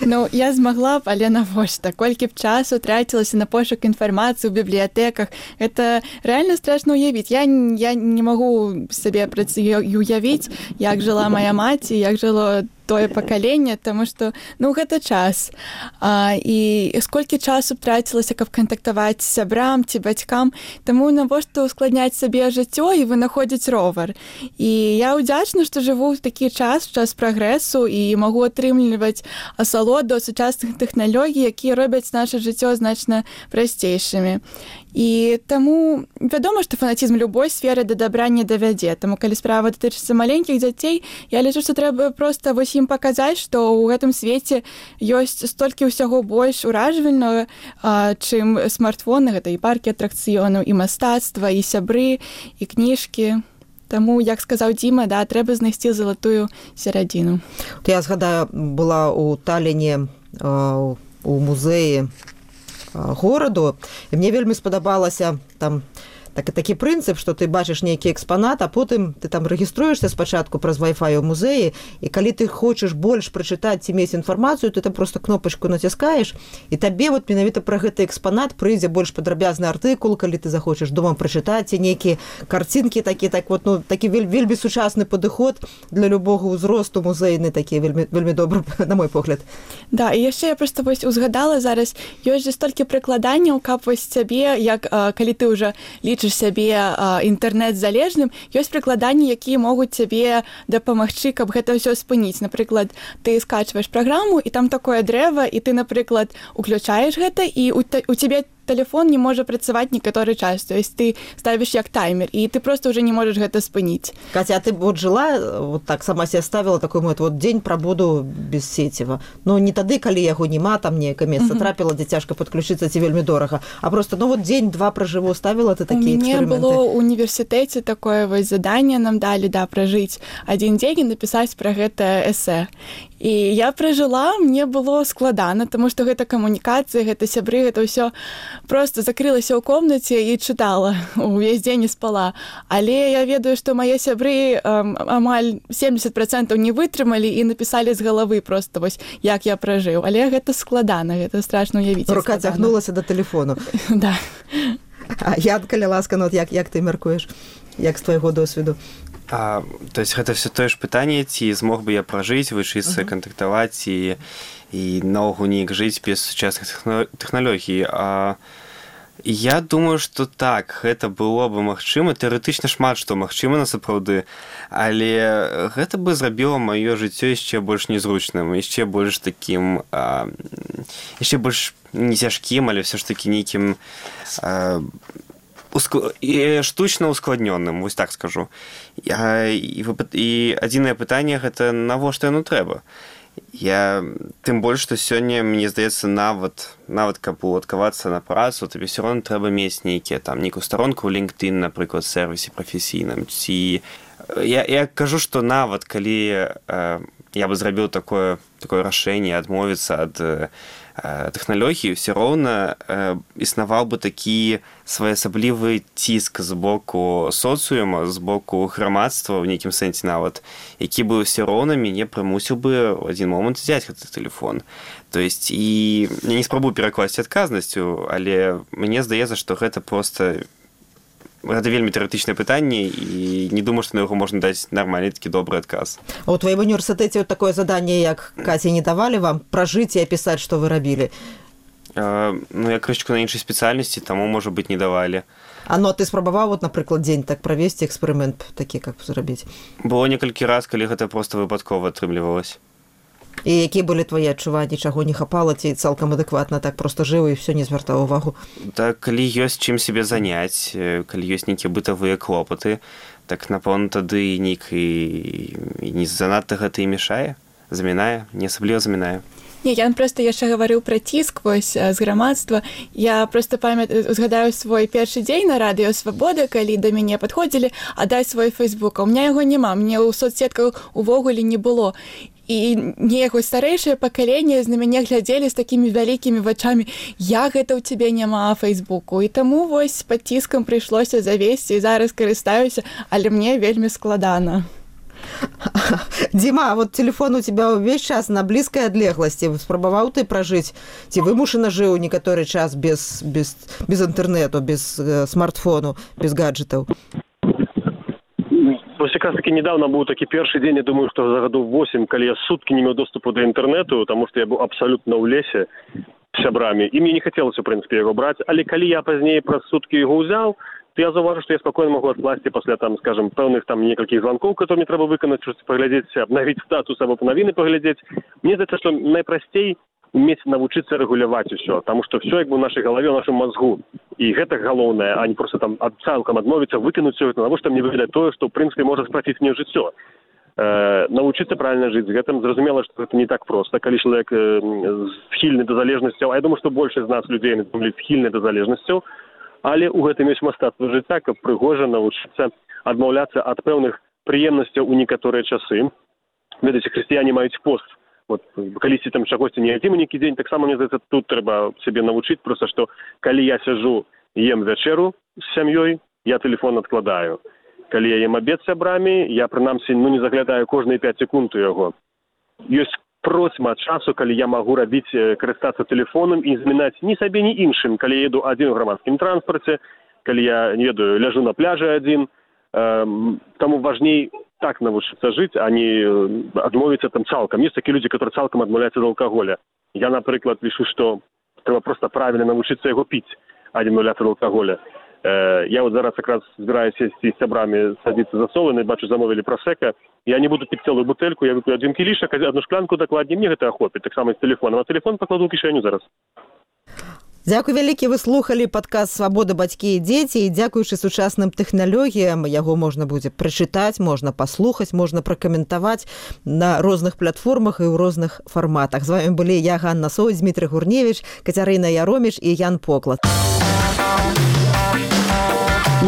Ну, я змагла б, але навошта? Колькі б часу трацілася на пошук інфармацыі ў бібліятэках. Это рэальна страшна ўявіць. Я не магу сабе уявіць, як жыла моя маці, як жыло тое пакаленне, таму што, ну, гэта час. І сколькі часу трацілася, каб кантактаваць з сябрам ці бацькам, таму навошта ускладняць сабе жыццё і вынаходзіць ровар. І я ўдзячна, што жыву ў такі час прагрэсу і магу атрымліваць асалоду сучасных тэхналогій, якія робяць наша жыццё значна прасцейшымі. І таму вядома, што фанатізм любой сферы да дабра не давядзе. Таму калі справа датычыцца маленькіх дзяцей, я лічу, што трэба проста вось ім паказаць, што ў гэтым свеце ёсць столькі ўсяго больш уражвальнага, чым смартфоны, гэта і паркі атракцыёнаў, і мастацтва, і сябры, і кніжкі. Таму, як сказаў Дзіма, да, трэба знайсці залатую серадзіну. Я згадаю, была ў Таліне у музеі гораду, і мне вельмі спадабалася там такі прынцып, што ты бачыш нейкі экспанат, а потым ты там рэгіструешся спачатку праз Wi-Fi у музеі, і калі ты хочаш больш прачытаць ці мець інфармацыю, ты там просто кнопачку націскаеш, і табе вот менавіта пра гэты экспанат прыйдзе больш падрабязны артыкул, калі ты захочаш дома прачытаць, ці нейкія карцінкі такі вельмі сучасны падыход для любога ўзросту музейны, такі вельмі добры, на мой погляд. Да, і яшчэ я проста вось узгадала зараз, ёсць же столькі прыкладанняў, каб вось цябе, як калі ты ўжо лічыш сябе інтэрнэт-залежным, ёсць прыкладанні, якія могуць цябе дапамагчы, каб гэта ўсё спыніць. Напрыклад, ты скачваеш праграму, і там такое дрэва, і ты, напрыклад, уключаеш гэта, і у цябе телефон не можа працаваць некаторы час. То есть ты ставіш як таймер, і ты просто уже не можаш гэта спыніць. Катя, а ты вот жила, вот так сама себе ставила такой вот дзень прабуду без сеціва. Ну, не тады, калі яго нема, там некае месца трапіла, дзе цяжка падключыцца, ці вельмі дорага. А просто, ну, вот дзень-два пражыву, ставіла ты такія эксперыменты? У мяне было ў універсітэце такое вось заданне нам далі, да, пражыць адзін дзень і напісаць пра гэта эсэ. І я пражыла, мне было складана, таму што гэта камунікацыя, гэта сябры, гэта ўсё просто закрылася ў комнаце і чытала, увесь дзень не спала. Але я ведаю, што мае сябры амаль 70% не вытрымалі і напісалі з галавы просто вось, як я пражыў. Але гэта складана, гэта страшна ўявіць. Рука цягнулася да тэлефону. Да. А Янка, ласка, ну, як ты мяркуеш? Як з твайго досведу? То есть гэта все тое ж пытанне, ці змог бы я пражыць, вучыцца, кантактаваць і наогул неяк жыць без сучасных тэхналогій. Я думаю, што так, гэта было бы магчыма, тэарэтычна шмат што магчыма насапраўды, але гэта бы зрабіла маё жыццё яшчэ больш незручным, яшчэ больш такім, яшчэ больш не цяжкім, але ўсё ж такі нейкім штучна ускладнёным, вось так скажу. І адзінае пытанне гэта навошта яно трэба. Тым больш, што сёння, мне здаецца, нават каб уладкавацца на працу, табе ўсё роўна трэба мець нейкую старонку ў LinkedIn, напрыклад, сервісе прафесійным. Я кажу, што нават калі я бы зрабіў такое рашэнне адмовіцца ад тэхналогій, ўсё роўна існаваў бы такі своеасаблівы ціск з боку соцыума, з боку грамадства, ў нейкім сэнсе нават, які бы ўсё роўна мяне прымусіў бы ў адзін момант взяць гэты тэлефон. То есть, і я не спрабую перакласці адказнасцю, але мне здаецца, што гэта проста гэта вельмі тэарэтычнае пытанне, і не думаю, што на яго можна даць нармальны такі добры адказ. А ў тваім універсітэце такое заданне, як Каці, не давалі вам пражыць і апісаць, што вы рабілі? Я крышечку на іншай спецыяльнасці, таму, можа быць, не давалі. А ты спрабаваў, напрыклад, дзень так правесці эксперымент такі, как зрабіць? Было некалькі раз, калі гэта проста выпадкова атрымлівалася. І якія былі твае адчуванні, чаго не хапала, ці цалкам адэкватна так проста жыў і ўсё не звяртаў увагу? Так, калі ёсць чым сябе заняць, калі ёсць нейкія бытавыя клопаты, так, напэўна, тады не занадта гэта і мешае, замінае, не асабліва замінае. Не, я просто яшчэ гаварыў пра ціск вось з грамадства. Я просто згадаю свой першы дзень на радыё Свабода, калі да мяне падходзілі, дай свой фэйсбук. У меня яго няма, мне ў соцсетках увогуле не было. І неяк старэйшае пакаленне на мяне глядзелі з такімі вялікімі вачамі, як гэта ў цябе няма фэйсбуку. І таму вось пад ціскам прыйшлося завесці, і зараз карыстаюся, але мне вельмі складана. Дима, а вот телефон у тебя увесь час на блізкай адлегласці. Спрабаваў ты пражыць? Ці вымушана жыў некаторы час без інтэрнету, без смартфону, без гаджетаў? Вось якраз таки недавно быў такі першы дзень, я думаю, што за гадоў 8, калі я суткі не меў доступу да інтэрнету, таму што я быў абсалютна ў лесе з сябрамі, і мне не хацелася, у прынцыпе, яго браць, але калі я пазней праз суткі яго ўзяў, то я заўважу, што я спакойна магу адкласці пасля, скажем, пэўных некалькіх званкоў, которые мне трэба выканаць, паглядзець, абнавіць статус або навіны паглядзець. Мне здаецца, што найпрасцей уметь навучыцца рэгуляваць усё, таму што ўсё як бы ў нашай галаве, ў нашым мазгу. І гэта галоўнае, а не проста цалкам адмовіцца, выкінуць усё гэта, навошта мне выглядаць тое, што ў прынцыпе можа спраціць мне жыццё. Навучыцца правільна жыць з гэтым. Зразумела, што гэта не так проста, калі чалавек схільны да залежнасцяў, а я думаю, што большасць з нас людзей схільны да залежнасцяў, але ў гэтым ёсць мастацтва жыцця, каб прыгожа навучыцца адмаўляцца ад пэўных прыемнасцяў у некаторыя часы. Ведаеце, хрысціяне маюць пост. Вот, калісьці чагосьці не ядзім нейкі дзень, таксама, мне здаецца, тут трэба сябе навучыць, проста што калі я сяджу, ем вячэру з сям'ёй, я тэлефон адкладаю. Калі я ем абед з сябрамі, я прынамсі не заглядаю кожныя 5 секунд у яго. Ёсць процьма часу, калі я магу карыстацца тэлефонам і змінаць ні сабе, ні іншым, калі я еду адзін у грамадскім транспарце, калі я, не ведаю, ляжу на пляжы адзін. Таму важней так навучыцца жыць, а не адмовіцца цалкам. Ёсць такія людзі, которые цалкам адмаўляюцца ад алкаголя. Я, напрыклад, лічу, што трэба проста правільна навучыцца яго піць, а не адмаўляцца ад алкаголя. Я вот зараз якраз збіраюся сесці з сябрамі, садзіцца за соланы, бачу, замовілі прасека. Я не буду піць цэлую бутэльку, я вып'ю адзін кілішак, адну шклянку дакладней, мне гэта ахопіць, таксама з тэлефонам, а тэлефон пакладу ў кішэню зараз. Дзякуй вялікі, вы слухалі падкаст «Свабода, бацькі і дзеці», і дзякуючы сучасным тэхналогіям яго можна будзе прачытаць, можна паслухаць, можна пракаментаваць на розных платформах і ў розных фарматах. З вамі былі я, Ганна Соўць, Дмітрый Гурневіч, Кацярына Яроміч і Ян Поклад.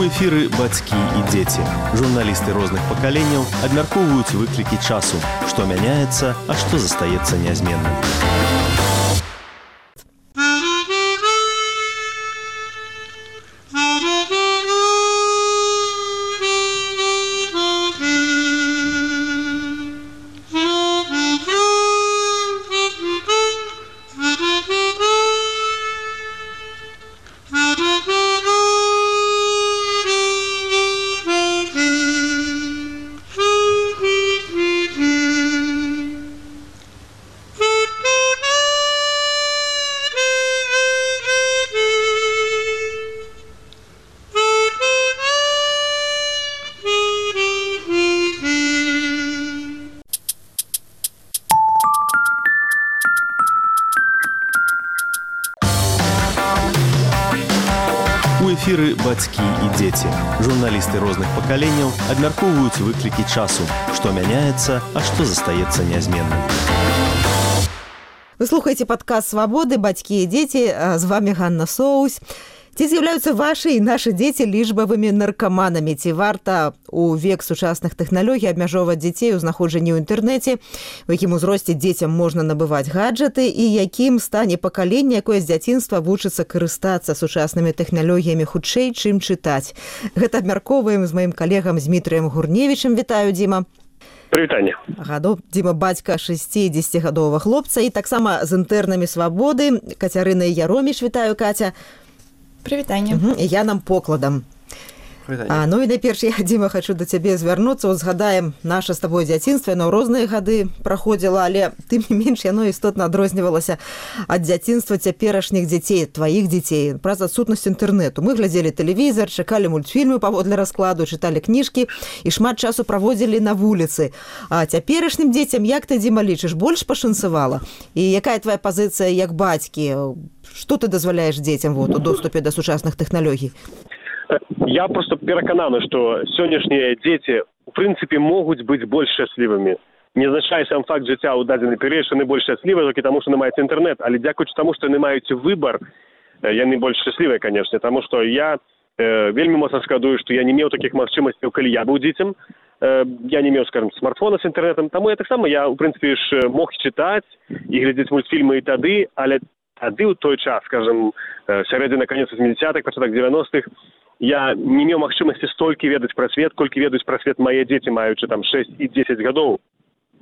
У эфіры бацькі і дзеці. Журналісты розных пакаленняў абмяркоўваюць выклікі часу, што мяняецца, а што застаецца нязменным. У эфіры бацькі і дзеці. Журналісты розных пакаленняў абмяркоўваюць выклікі часу, што мяняецца, а што застаецца нязменным. Вы слухаеце падкаст «Свабоды», бацькі і дзеці, з вами Ганна Соусь. Ці з'яўляюцца вашы і нашы дзеці лічбавымі наркаманамі? Ці варта у век сучасных тэхналогій абмяжоўваць дзяцей у знаходжанні ў інтэрнэце? У якім узросце дзецям можна набываць гаджеты? І якім стане пакаленне, якое з дзяцінства вучыцца карыстацца сучаснымі тэхналогіямі хутчэй, чым чытаць? Гэта абмяркоўваем з маім калегам Змітрыем Гурневічым. Вітаю, Дзіма. Прывітанне. Дзіма бацька 60-гадовага хлопца і таксама з інтэрнамі «Свабоды». Кацярына Яроміш. Вітаю, Каця. Прывітанне. Я нам покладам. Ну і найперш я, Дзіма, хачу да цябе звярнуцца. Згадаем наша з табой дзяцінства, яно розныя гады праходзіла, але тым не менш яно істотна адрознівалася ад дзяцінства цяперашніх дзяцей, тваіх дзяцей, праз адсутнасць інтэрнэту. Мы глядзелі тэлевізар, чакалі мультфільмы паводле раскладу, чыталі кніжкі і шмат часу праводзілі на вуліцы. А цяперашнім дзецям, як ты, Дзіма, лічыш, больш пашанцавала? І якая твая пазіцыя як бацькі? Што ты дазваляеш дзецям у доступе да сучасных тэхналогій? Я просто перакананы, што сённяшнія дзеці у прынцыпе могуць быць больш шчаслівымі. Не азначае сам факт жыцця ў дадзены перыяд, што яны больш шчаслівыя толькі таму, што яны маюць інтэрнэт, але дзякуючы таму, што яны маюць выбар, яны больш шчаслівыя, канешне, таму што я вельмі моцна шкадую, што я не меў такіх магчымасцяў, калі я быў дзіцем. Я не меў, скажем, смартфона з інтэрнэтам, таму я таксама у прынцыпе ж мог чытаць і глядзець мультфільмы і тады, але тады ў той час, скажем, сярэдзіна канец 80-х, пачатак 90-х, я не меў магчымасці столькі ведаць пра свет, колькі ведаюць пра свет мае дзеці, маючы там 6 і 10 гадоў.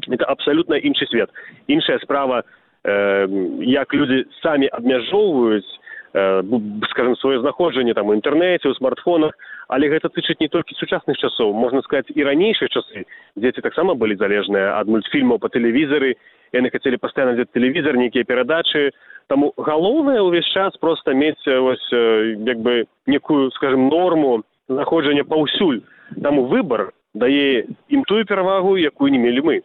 Это абсалютна іншы свет. Іншая справа, як людзі самі абмяжоўваюць, скажем, сваё знаходжанне там у інтэрнэце, у смартфонах, але гэта тычыць не толькі сучасных часоў, можна сказаць, і ранейшыя часы. Дзеці таксама былі залежныя ад мультфільмаў па тэлевізары, яны хацелі пастаянна глядзець тэлевізар, нейкія перадачы. Таму галоўнае ўвесь час проста мець як бы некую, скажем, норму знаходжання паўсюль. Таму выбар дае ім тую перавагу, якую не мелі мы.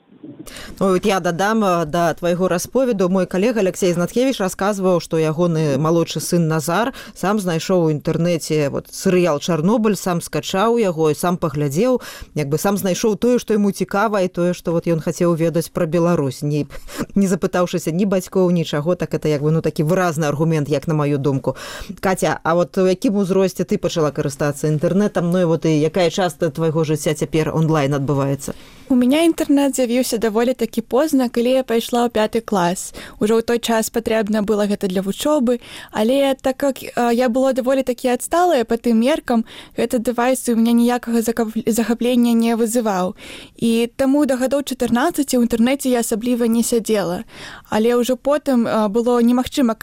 Ну, я дадам да твайго расповеду. Мой калега Алексей Знаткевіч расказваў, што ягоны малодшы сын Назар сам знайшоў у інтэрнэце серыял «Чарнобыль», сам скачаў яго і сам паглядзеў, як бы сам знайшоў тое, што яму цікава, і тое, што ён хацеў ведаць пра Беларусь, не запытаўшыся ні бацькоў, нічаго. Так это як бы такі выразны аргумент, як на маю думку. Каця, а у якім узросце ты пачала карыстацца інтэрнэтам? Ну і якая частка твайго жыцця цяпер онлайн адбываецца? У меня інтэрнэт з'явіўся даволі такі позна, калі я пайшла ў 5 клас. Ужо ў той час патрэбна было гэта для вучобы, але так як я была даволі такі адсталая па тым меркам, гэты дэвайс у мяне ніякага захаплення не вызываў. І таму да гадоў 14 у інтэрнэце я асабліва не сядзела. Але ўжо потым было немагчыма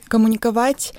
камунікаваць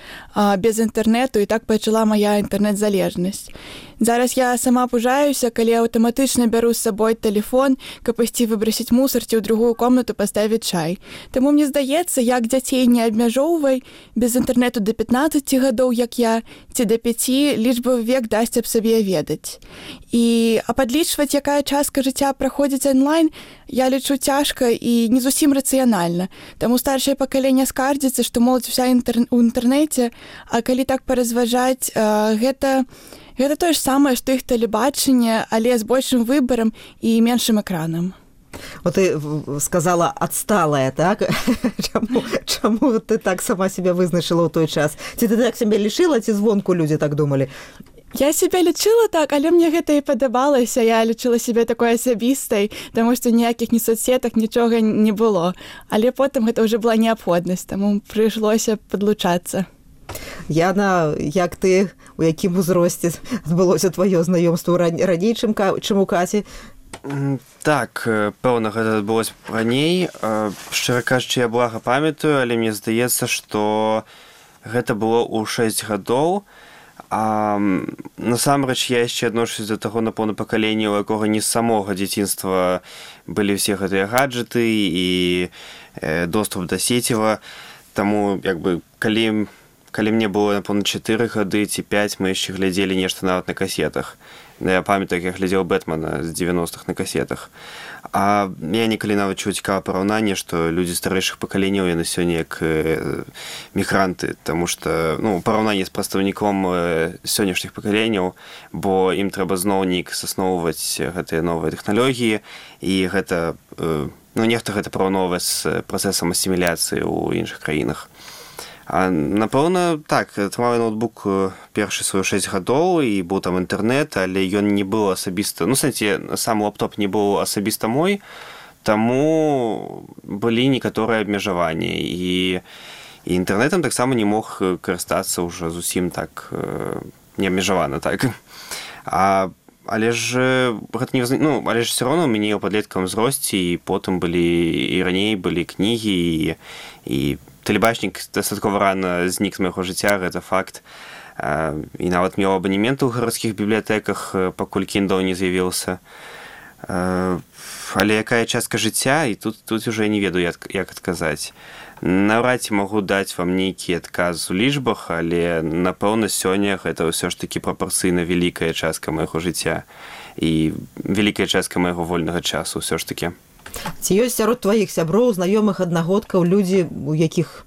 без інтэрнэту, і так пачала мая інтэрнэт-залежнасць. Зараз я сама пужаюся, калі аўтаматычна бяру з сабой тэлефон, каб ісці выбрасіць мусор ці ў другую комнату паставіць чай. Таму мне здаецца, як дзяцей не абмяжоўвай, без інтэрнэту да 15 гадоў, як я, ці да 5, лічбавы век дасць аб сабе ведаць. А падлічваць, якая частка жыцця праходзіць онлайн, я лічу цяжка і не зусім рацыянальна. Таму старшае пакаленне скардзіцца, што моладзь уся ў інтэрнэце, а калі так паразважаць, гэта тое ж самае, што іх тэлебачанне, але з большым выбарам і меншым экранам. Вот ты сказала «адсталая», так? Чаму ты так сама себя вызначила ў той час? Ці ты так себе лишила, ці звонку людзі так думалі? Я себя лічыла так, але мне гэта і падабалася. Я лічыла сябе такой асабістай, таму што ніякіх ні соцсетак, нічога не было. Але потым гэта ўжо была неабходнасць, таму прыйшлося падлучацца. Яна, як ты, у якім узросце адбылося тваё знаёмства раней, чым у Каці? Так, пэўна, гэта адбылося раней. Шчыра кажучы, я блага памятаю, але мне здаецца, што гэта было ў 6 гадоў. А насамрэч я яшчэ адношусь да таго, напэўна, пакалення, у якога не з самога дзяцінства былі ўсе гэтыя гаджеты і доступ да сеціва. Таму, калі мне было, напэўна, 4 гады ці 5, мы яшчэ глядзелі нешта нават на касетах. Я памятаю, як я глядзеў Бэтмена з 90-х на касетах. А я некалі нават чуў цікавае параўнанне, што людзі старэйшых пакаленняў, яны сёння як мігранты, таму што, параўнанне з прадстаўніком сённяшніх пакаленняў, бо ім трэба зноў неяк засноўваць гэтыя новыя тэхналогіі, і гэта, нехта гэта параўноўвае з працэсам асіміляцыі ў іншых краінах. А, напэўна, так, атрымаў ноутбук першы свой 6 гадоў, і быў там інтэрнэт, але ён не быў асабіста, сам лаптоп не быў асабіста мой, таму былі некаторыя абмежаванні, і інтэрнэтам таксама не мог карыстацца ўжо зусім так неабмежавана, так. Але ж гэта не але ж все роўно ў мяне ў падлеткавым узросце, і потым былі, і раней былі кнігі, і тэлебачнік дастаткова рана знік з майго жыцця, гэта факт. І нават меў абанементы ў гарадскіх бібліятэках, пакуль Kindle не з'явіўся. Але якая частка жыцця, і тут уже не ведаю, як адказаць. Наўрад ці магу даць вам нейкі адказ у лічбах, але, напэўна, сёння гэта ўсё ж такі прапарцыйна вялікая частка майго жыцця і вялікая частка майго вольнага часу ўсё ж такі. Ці ёсць сярод тваіх сяброў, знаёмых, аднагодкаў людзі, у якіх,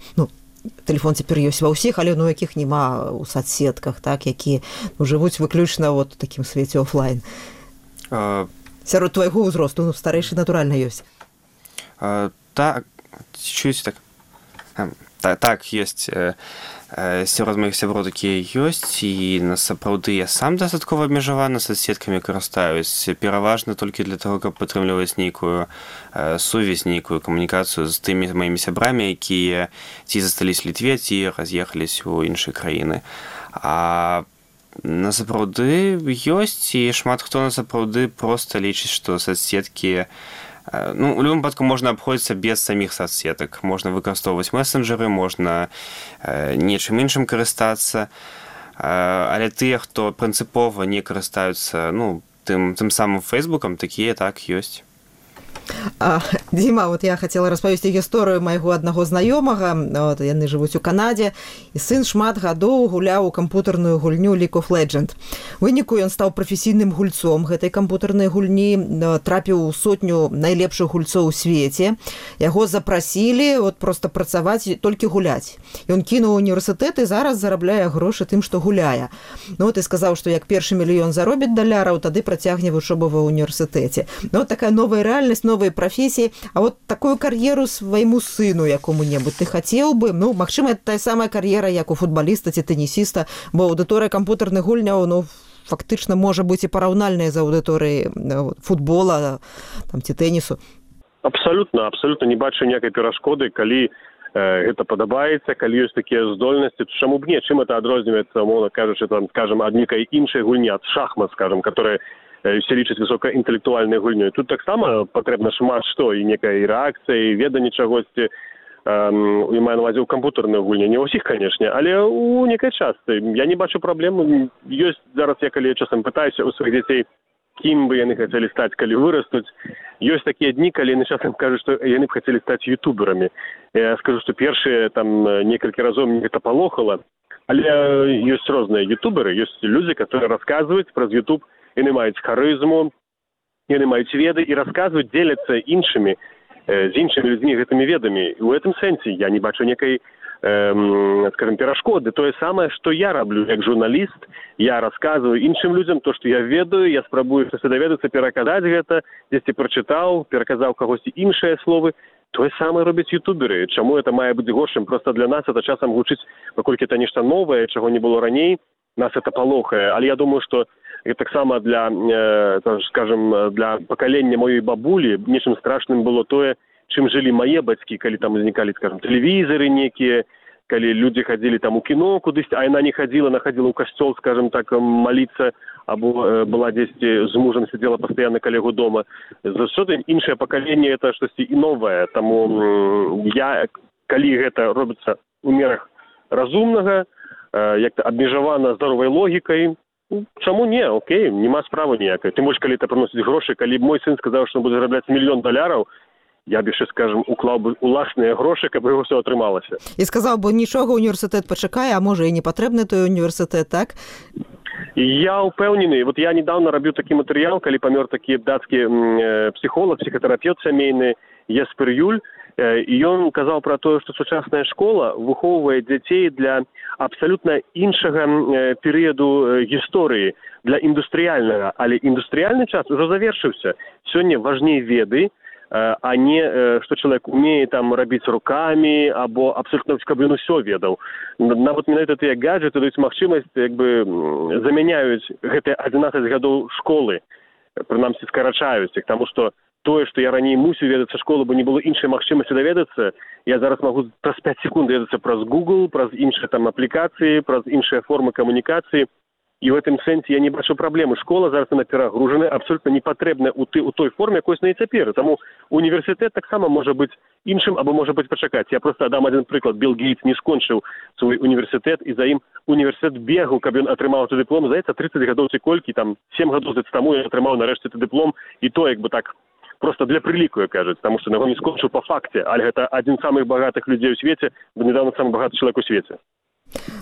тэлефон цяпер ёсць ва ўсіх, але у якіх няма ў соцсетках, так, якія жывуць выключна у такім свеце офлайн? Сярод твайго ўзросту, старэйшы, натуральна, ёсць. Так, чуеце так? Так, ёсць. Сярод маіх сяброў такія ёсць, і насапраўды я сам дастаткова абмежавана соцсеткамі карыстаюсь, пераважна толькі для таго, каб падтрымліваць нейкую сувязь, нейкую камунікацыю з тымі маімі сябрамі, якія ці засталіся ў Літве, ці раз'ехаліся ў іншыя краіны. А насапраўды ёсць, і шмат хто насапраўды проста лічыць, што соцсеткі, у любым выпадку можна абходзіцца без саміх соцсетак. Можна выкарыстоўваць месенджеры, можна нечым іншым карыстацца, але тыя, хто прынцыпова не карыстаюцца тым самым фейсбукам, такія так ёсць. Дзіма, я хацела распавесці гісторыю майго аднаго знаёмага. Яны жывуць у Канадзе, і сын шмат гадоў гуляў у кампутарную гульню League of Legends. У выніку ён стаў прафесійным гульцом гэтай кампутарнай гульні, трапіў у 100 найлепшых гульцоў у свеце. Яго запрасілі проста працаваць, толькі гуляць. Ён кінуў універсітэт і зараз зарабляе грошы тым, што гуляе. Ты сказаў, што як першы мільён заробіць даляраў, тады працягне вучобу ва універсітэце. Такая новая рэальнасць, новыя прафесіі. А такую кар'еру свайму сыну якому-небудзь ты хацеў бы? Магчыма, это тая самая кар'ера, як у футбаліста ці тэнісіста, бо аўдыторыя кампутарных гульняў, фактычна можа быць і параўнальная з аўдыторыяй футбола ці тэнісу. Абсалютна не бачу ніякай перашкоды, калі гэта падабаецца, калі ёсць такія здольнасці, чаму б не, чым это адрозніваецца, умоўна кажучы, скажем, ад нейкай іншай гульні, ад шахмат, скажем, которая все лічаць высокаінтэлектуальнай гульнёй. Тут таксама патрэбна шмат што, і некая рэакцыя, і веданне чагосьці, і маю на ўвазе ў кампутарнай гульні. Не ўсіх, канешне, але у некай частцы. Я не бачу праблем. Ёсць зараз, калі я часам пытаюся у сваіх дзяцей, кім бы яны хацелі стаць, калі вырастуць. Ёсць такія дні, калі яны часам кажуць, што яны б хацелі стаць ютуберамі. Я скажу, што першыя некалькі разоў мне гэта палохала, але ёсць розныя ютуберы, ёсць людзі, которые расказваюць праз ютуб. Яны маюць харызму, яны маюць веды і расказваюць, дзеляцца іншымі, з іншымі людзьмі гэтымі ведамі. І ў гэтым сэнсе я не бачу некай, скажем, перашкоды. Тое самае, што я раблю як журналіст, я расказваю іншым людзям то, што я ведаю, я спрабую штосьці даведацца, пераказаць гэта, дзесьці прачытаў, пераказаў кагосьці іншыя словы. Тое самае робяць ютуберы. Чаму это мае быць горшым? Проста для нас это часам гучыць, паколькі это нешта новае, чаго не было раней. нас это палохае, але я думаю, што таксама для, скажем, для пакалення маёй бабулі нечым страшным было тое, чым жылі мае бацькі, калі там узнікалі, скажем, тэлевізары некія, калі людзі хадзілі там у кіно кудысь, а яна не хадзіла, она хадзіла ў касцёл, скажем так, маліцца, або была дзесьці з мужам сидзела пастаянна каля яго дома. Заўсёды іншае пакаленне это штосьці і новае, таму я, калі гэта робіцца ў мерах разумнага, як-то абмежавана здаровай логікай, чаму не, окей, нема справы ніякай. Тым больш, калі это прыносіць грошы, калі мой сын сказаў, што он будзе зарабляць $1 мільён, я б яшчэ, скажем, уклаў бы уласныя грошы, каб яго ўсё атрымалася. І сказаў бы, нічога, універсітэт пачакае, а можа і не патрэбны той універсітэт, так? Я упэўнены. Вот я недавно рабіў такі матэрыял, калі памёр такі дацкі псіхолог, псіхатэрапевт сямейны Еспер Юль, і ён казаў пра тое, што сучасная школа выхоўвае дзяцей для абсалютна іншага перыяду гісторыі, для індустрыяльнага. Але індустрыяльны час ужо завершыўся. Сёння важней веды, а не што чалавек умее там рабіць рукамі або абсолютно, каб ён усё ведаў. Нават менавіта тыя гаджеты даюць магчымасць, як бы замяняюць гэтыя 11 гадоў школы, прынамсі скарачаюць іх, таму што тое, што я раней мусіў ведацца школу, бо не было іншай магчымасці даведацца, я зараз магу праз 5 секунд даведацца праз Google, праз іншыя там аплікацыі, праз іншыя формы камунікацыі. І в гэтым сэнсе я не бачу праблемы. Школа зараз она перагружана, абсолютно не патрэбна у той форме, якой на і цяпер. Таму універсітэт таксама можа быць іншым, або можа быць пачакаць. Я просто дам один прыклад. Билл Гейтс не скончыў свой універсітэт, і за ім універсітэт бегаў, каб ён атрымаў гэты дыплом. Здаецца, 30 гадоў ці колькі, там 7 гадоў таму ён атрымаў нарэшце гэты дыплом, і то як бы так просто для прыліку, як кажуць, таму што яго не скончыў па факце, але гэта адзін з самых багатых людзей у свеце, бо недавно самы багаты чалавек у свеце.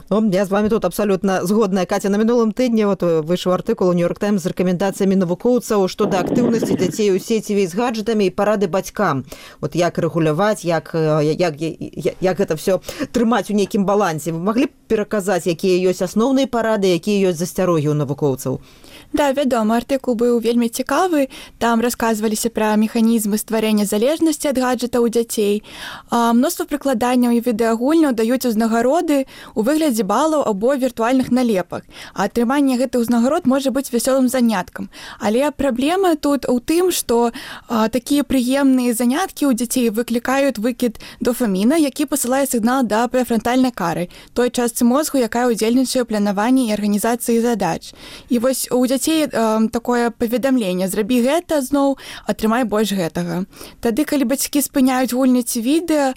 Ну, я з вами тут абсолютно згодная. Катя, на мінулым тыдні выйшаў артыкул у Нью-Йорк Таймс з рэкамендацыямі навукоўцаў што да актыўнасці дзяцей у сеціве з гаджетамі і парады бацькам. Вот як рэгуляваць, як гэта все трымаць у нейкім балансе. Вы маглі б пераказаць, якія ёсць асноўныя парады, якія ёсць засцярогі ў навукоўцаў? Да, вядома, артыкул быў вельмі цікавы. Там расказваліся пра механізмы стварэння залежнасці ад гаджета ў дзяцей. Мноства прыкладанняў і відэагульняў даюць узнагароды у выглядзе балаў або віртуальных налепак. А атрыманне гэтых узнагарод можа быць вясёлым заняткам. Але праблема тут у тым, што такія прыемныя заняткі ў дзяцей выклікаюць выкід дофаміна, які пасылае сігнал да прэфрантальнай кары, той частцы мозгу, якая ўдзельнічае ў планаванні і арганізацыі задач. І вось у дзяцей такое паведамленне: зрабі гэта зноў, атрымай больш гэтага. Тады, калі бацькі спыняюць гульні ці відэа,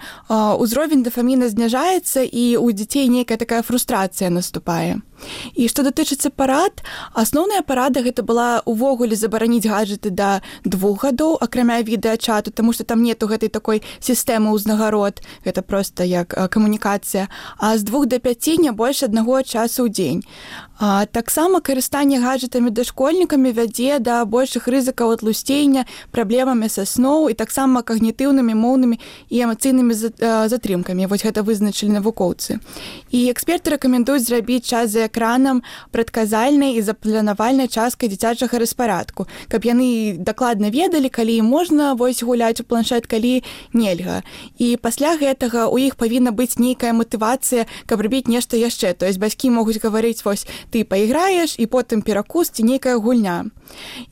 узровень дофаміна зніжаецца, і у дзяцей нейкая такая фрустрацыя наступае. І што датычыцца парад, асноўная парада гэта была увогуле забараніць гаджеты да 2 гадоў, акрамя відэачату, таму што там нету гэтай такой сістэмы ўзнагарод, гэта проста як камунікацыя, а з 2 до 5 не больш 1 часу ў дзень. Таксама карыстанне гаджетамі дашкольнікамі вядзе да большых рызыкаў атлусцення, праблемамі са сноў і таксама кагнітыўнымі, моўнымі і эмацыйнымі затрымкамі. Вось гэта вызначылі навукоўцы. І эксперты рэкамендуюць зрабіць час за экранам прадказальнай і запланавальнай часткай дзіцячага распарадку, каб яны дакладна ведалі, калі можна вось гуляць у планшет, калі нельга. І пасля гэтага у іх павінна быць нейкая матывацыя, каб рабіць нешта яшчэ. То есть бацькі могуць гаварыць: вось ты пайграеш, і потым перакус ці нейкая гульня.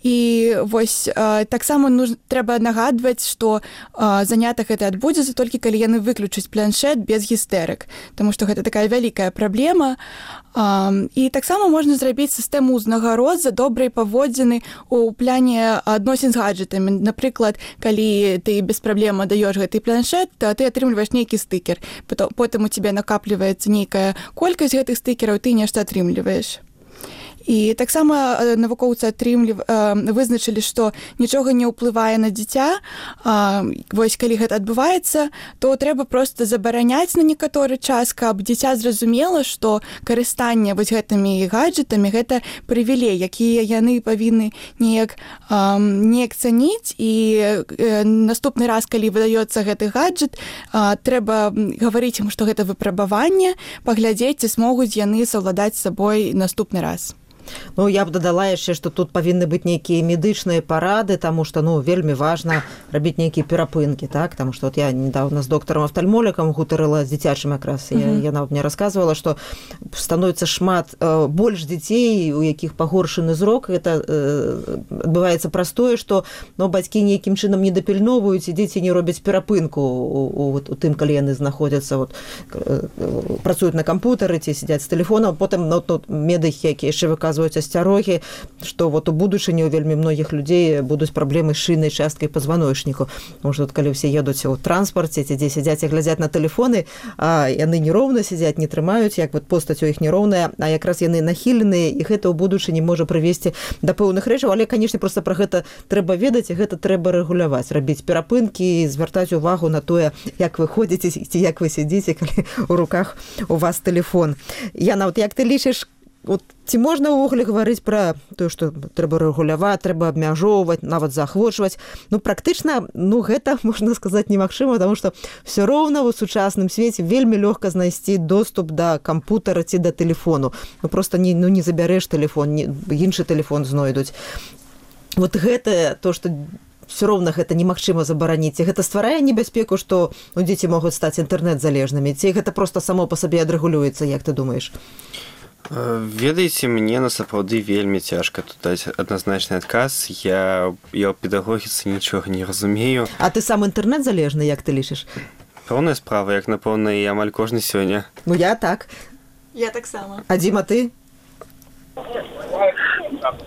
І вось таксама трэба нагадваць, што занятак гэта адбудзецца толькі калі яны выключаць планшет без гістэрык, таму што гэта такая вялікая праблема. І таксама можна зрабіць сістэму ўзнагарод за добрыя паводзіны ў пляне адносін з гаджетамі. Напрыклад, калі ты без праблем даёш гэты планшет, то ты атрымліваеш нейкі стыкер. Потым у цябе накапліваецца нейкая колькасць гэтых стыкераў, ты нешта атрымліваеш. І таксама навукоўцы вызначылі, што нічога не ўплывае на дзіця. Вось калі гэта адбываецца, то трэба проста забараняць на некаторы час, каб дзіця зразумела, што карыстанне вось гэтымі гаджетамі гэта прывілей, якія яны павінны неяк цаніць. І наступны раз, калі выдаецца гэты гаджет, трэба гаварыць ім, што гэта выпрабаванне, паглядзець, ці змогуць яны саўладаць з сабой наступны раз. Ну, я б дадала яшчэ, што тут павінны быць нейкія медычныя парады, таму што, ну, вельмі важна рабіць нейкія перапынкі, так? Таму што я недавно з доктарам-афтальмолікам гутарыла з дзіцячым якраз. Яна мне расказвала, што становіцца шмат больш дзяцей, у якіх пагоршаны зрок. Гэта адбываецца праз тое, што бацькі нейкім чынам не дапільноўваюць, і дзеці не робяць перапынку у тым, калі яны знаходзяцца, працуюць на кампутары ці сядзяць з тэлефонам. Потым медыкі, якія яшчэ выказваюць асцярогі, што у будучыні у вельмі многіх людзей будуць праблемы з шыйнай часткай пазваночніку. Тому што калі ўсе едуць у транспарце, ці дзе сядзяць і глядзяць на тэлефоны, а яны нероўна сядзяць, не трымаюць, як постаць у іх нероўная, а якраз яны нахіленыя, і гэта ў будучыні можа прывесці да пэўных рэчаў. Але, канешне, проста пра гэта трэба ведаць, і гэта трэба рэгуляваць, рабіць перапынкі, звяртаць увагу на тое, як вы ходзіце, ці як вы сядзіце, калі у руках у вас тэлефон. Яна, як ты лічыш, ці можна ўвогуле гаварыць пра тое, што трэба рэгуляваць, трэба абмяжоўваць, нават заахвочваць? Практычна, гэта, можна сказаць, немагчыма, таму што ўсё роўна ў сучасным свеце вельмі лёгка знайсці доступ да кампутара ці да тэлефону. Проста не забярэш тэлефон, іншы тэлефон знойдуць. Гэта то, што все роўна гэта немагчыма забараніць. Гэта стварае небяспеку, што дзеці могуць стаць інтэрнэт-залежнымі, ці гэта проста само па сабе адрэгулюецца, як ты думаеш? Ведаеце, мне насапраўды вельмі цяжка тут даць адназначны адказ. Я ў педагогіцы нічога не разумею. А ты сам інтэрнэт-залежны, як ты лічыш? Пэўная справа, як напэўна і амаль кожны сёння. Я так. Я таксама. А Дзіма, ты?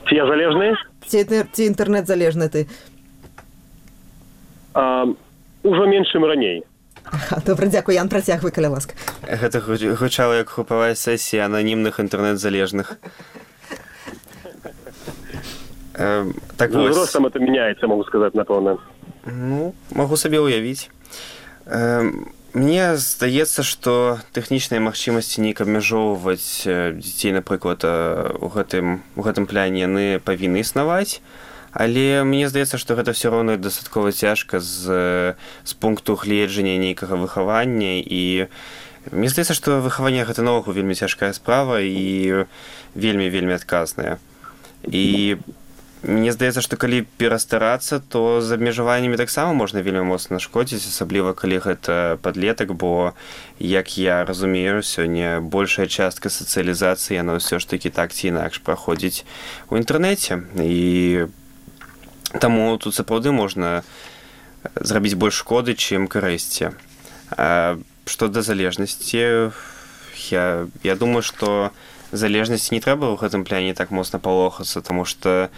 Ці я залежны? Ці інтэрнэт-залежны ты? Ужо менш, чым раней. Добра, дзякуй. Ян, працягвай, каля ласка. Гэта гучала як групавая сесія ананімных інтэрнэт-залежных. Так вось. Ростам это мяняецца, могу сказаць, напэўна. Магу сабе ўявіць. Мне здаецца, што тэхнічныя магчымасці неяк абмяжоўваць дзяцей, напрыклад, у гэтым пляне яны павінны існаваць. Але мне здаецца, што гэта ўсё роўна дастаткова цяжка з пункту гледжання нейкага выхавання. І мне здаецца, што выхаванне гэта наогул вельмі цяжкая справа і вельмі адказная. І мне здаецца, што калі перастарацца, то з абмежаваннямі таксама можна вельмі моцна нашкодзіць, асабліва калі гэта падлетак, бо, як я разумею, сёння большая частка сацыялізацыі, яна ўсё ж такі так ці інакш праходзіць у інтэрнэце. І таму тут сапраўды можна зрабіць больш шкоды, чым карысці. Што да залежнасці, я думаю, што залежнасці не трэба ў гэтым пляне так моцна палохацца, таму што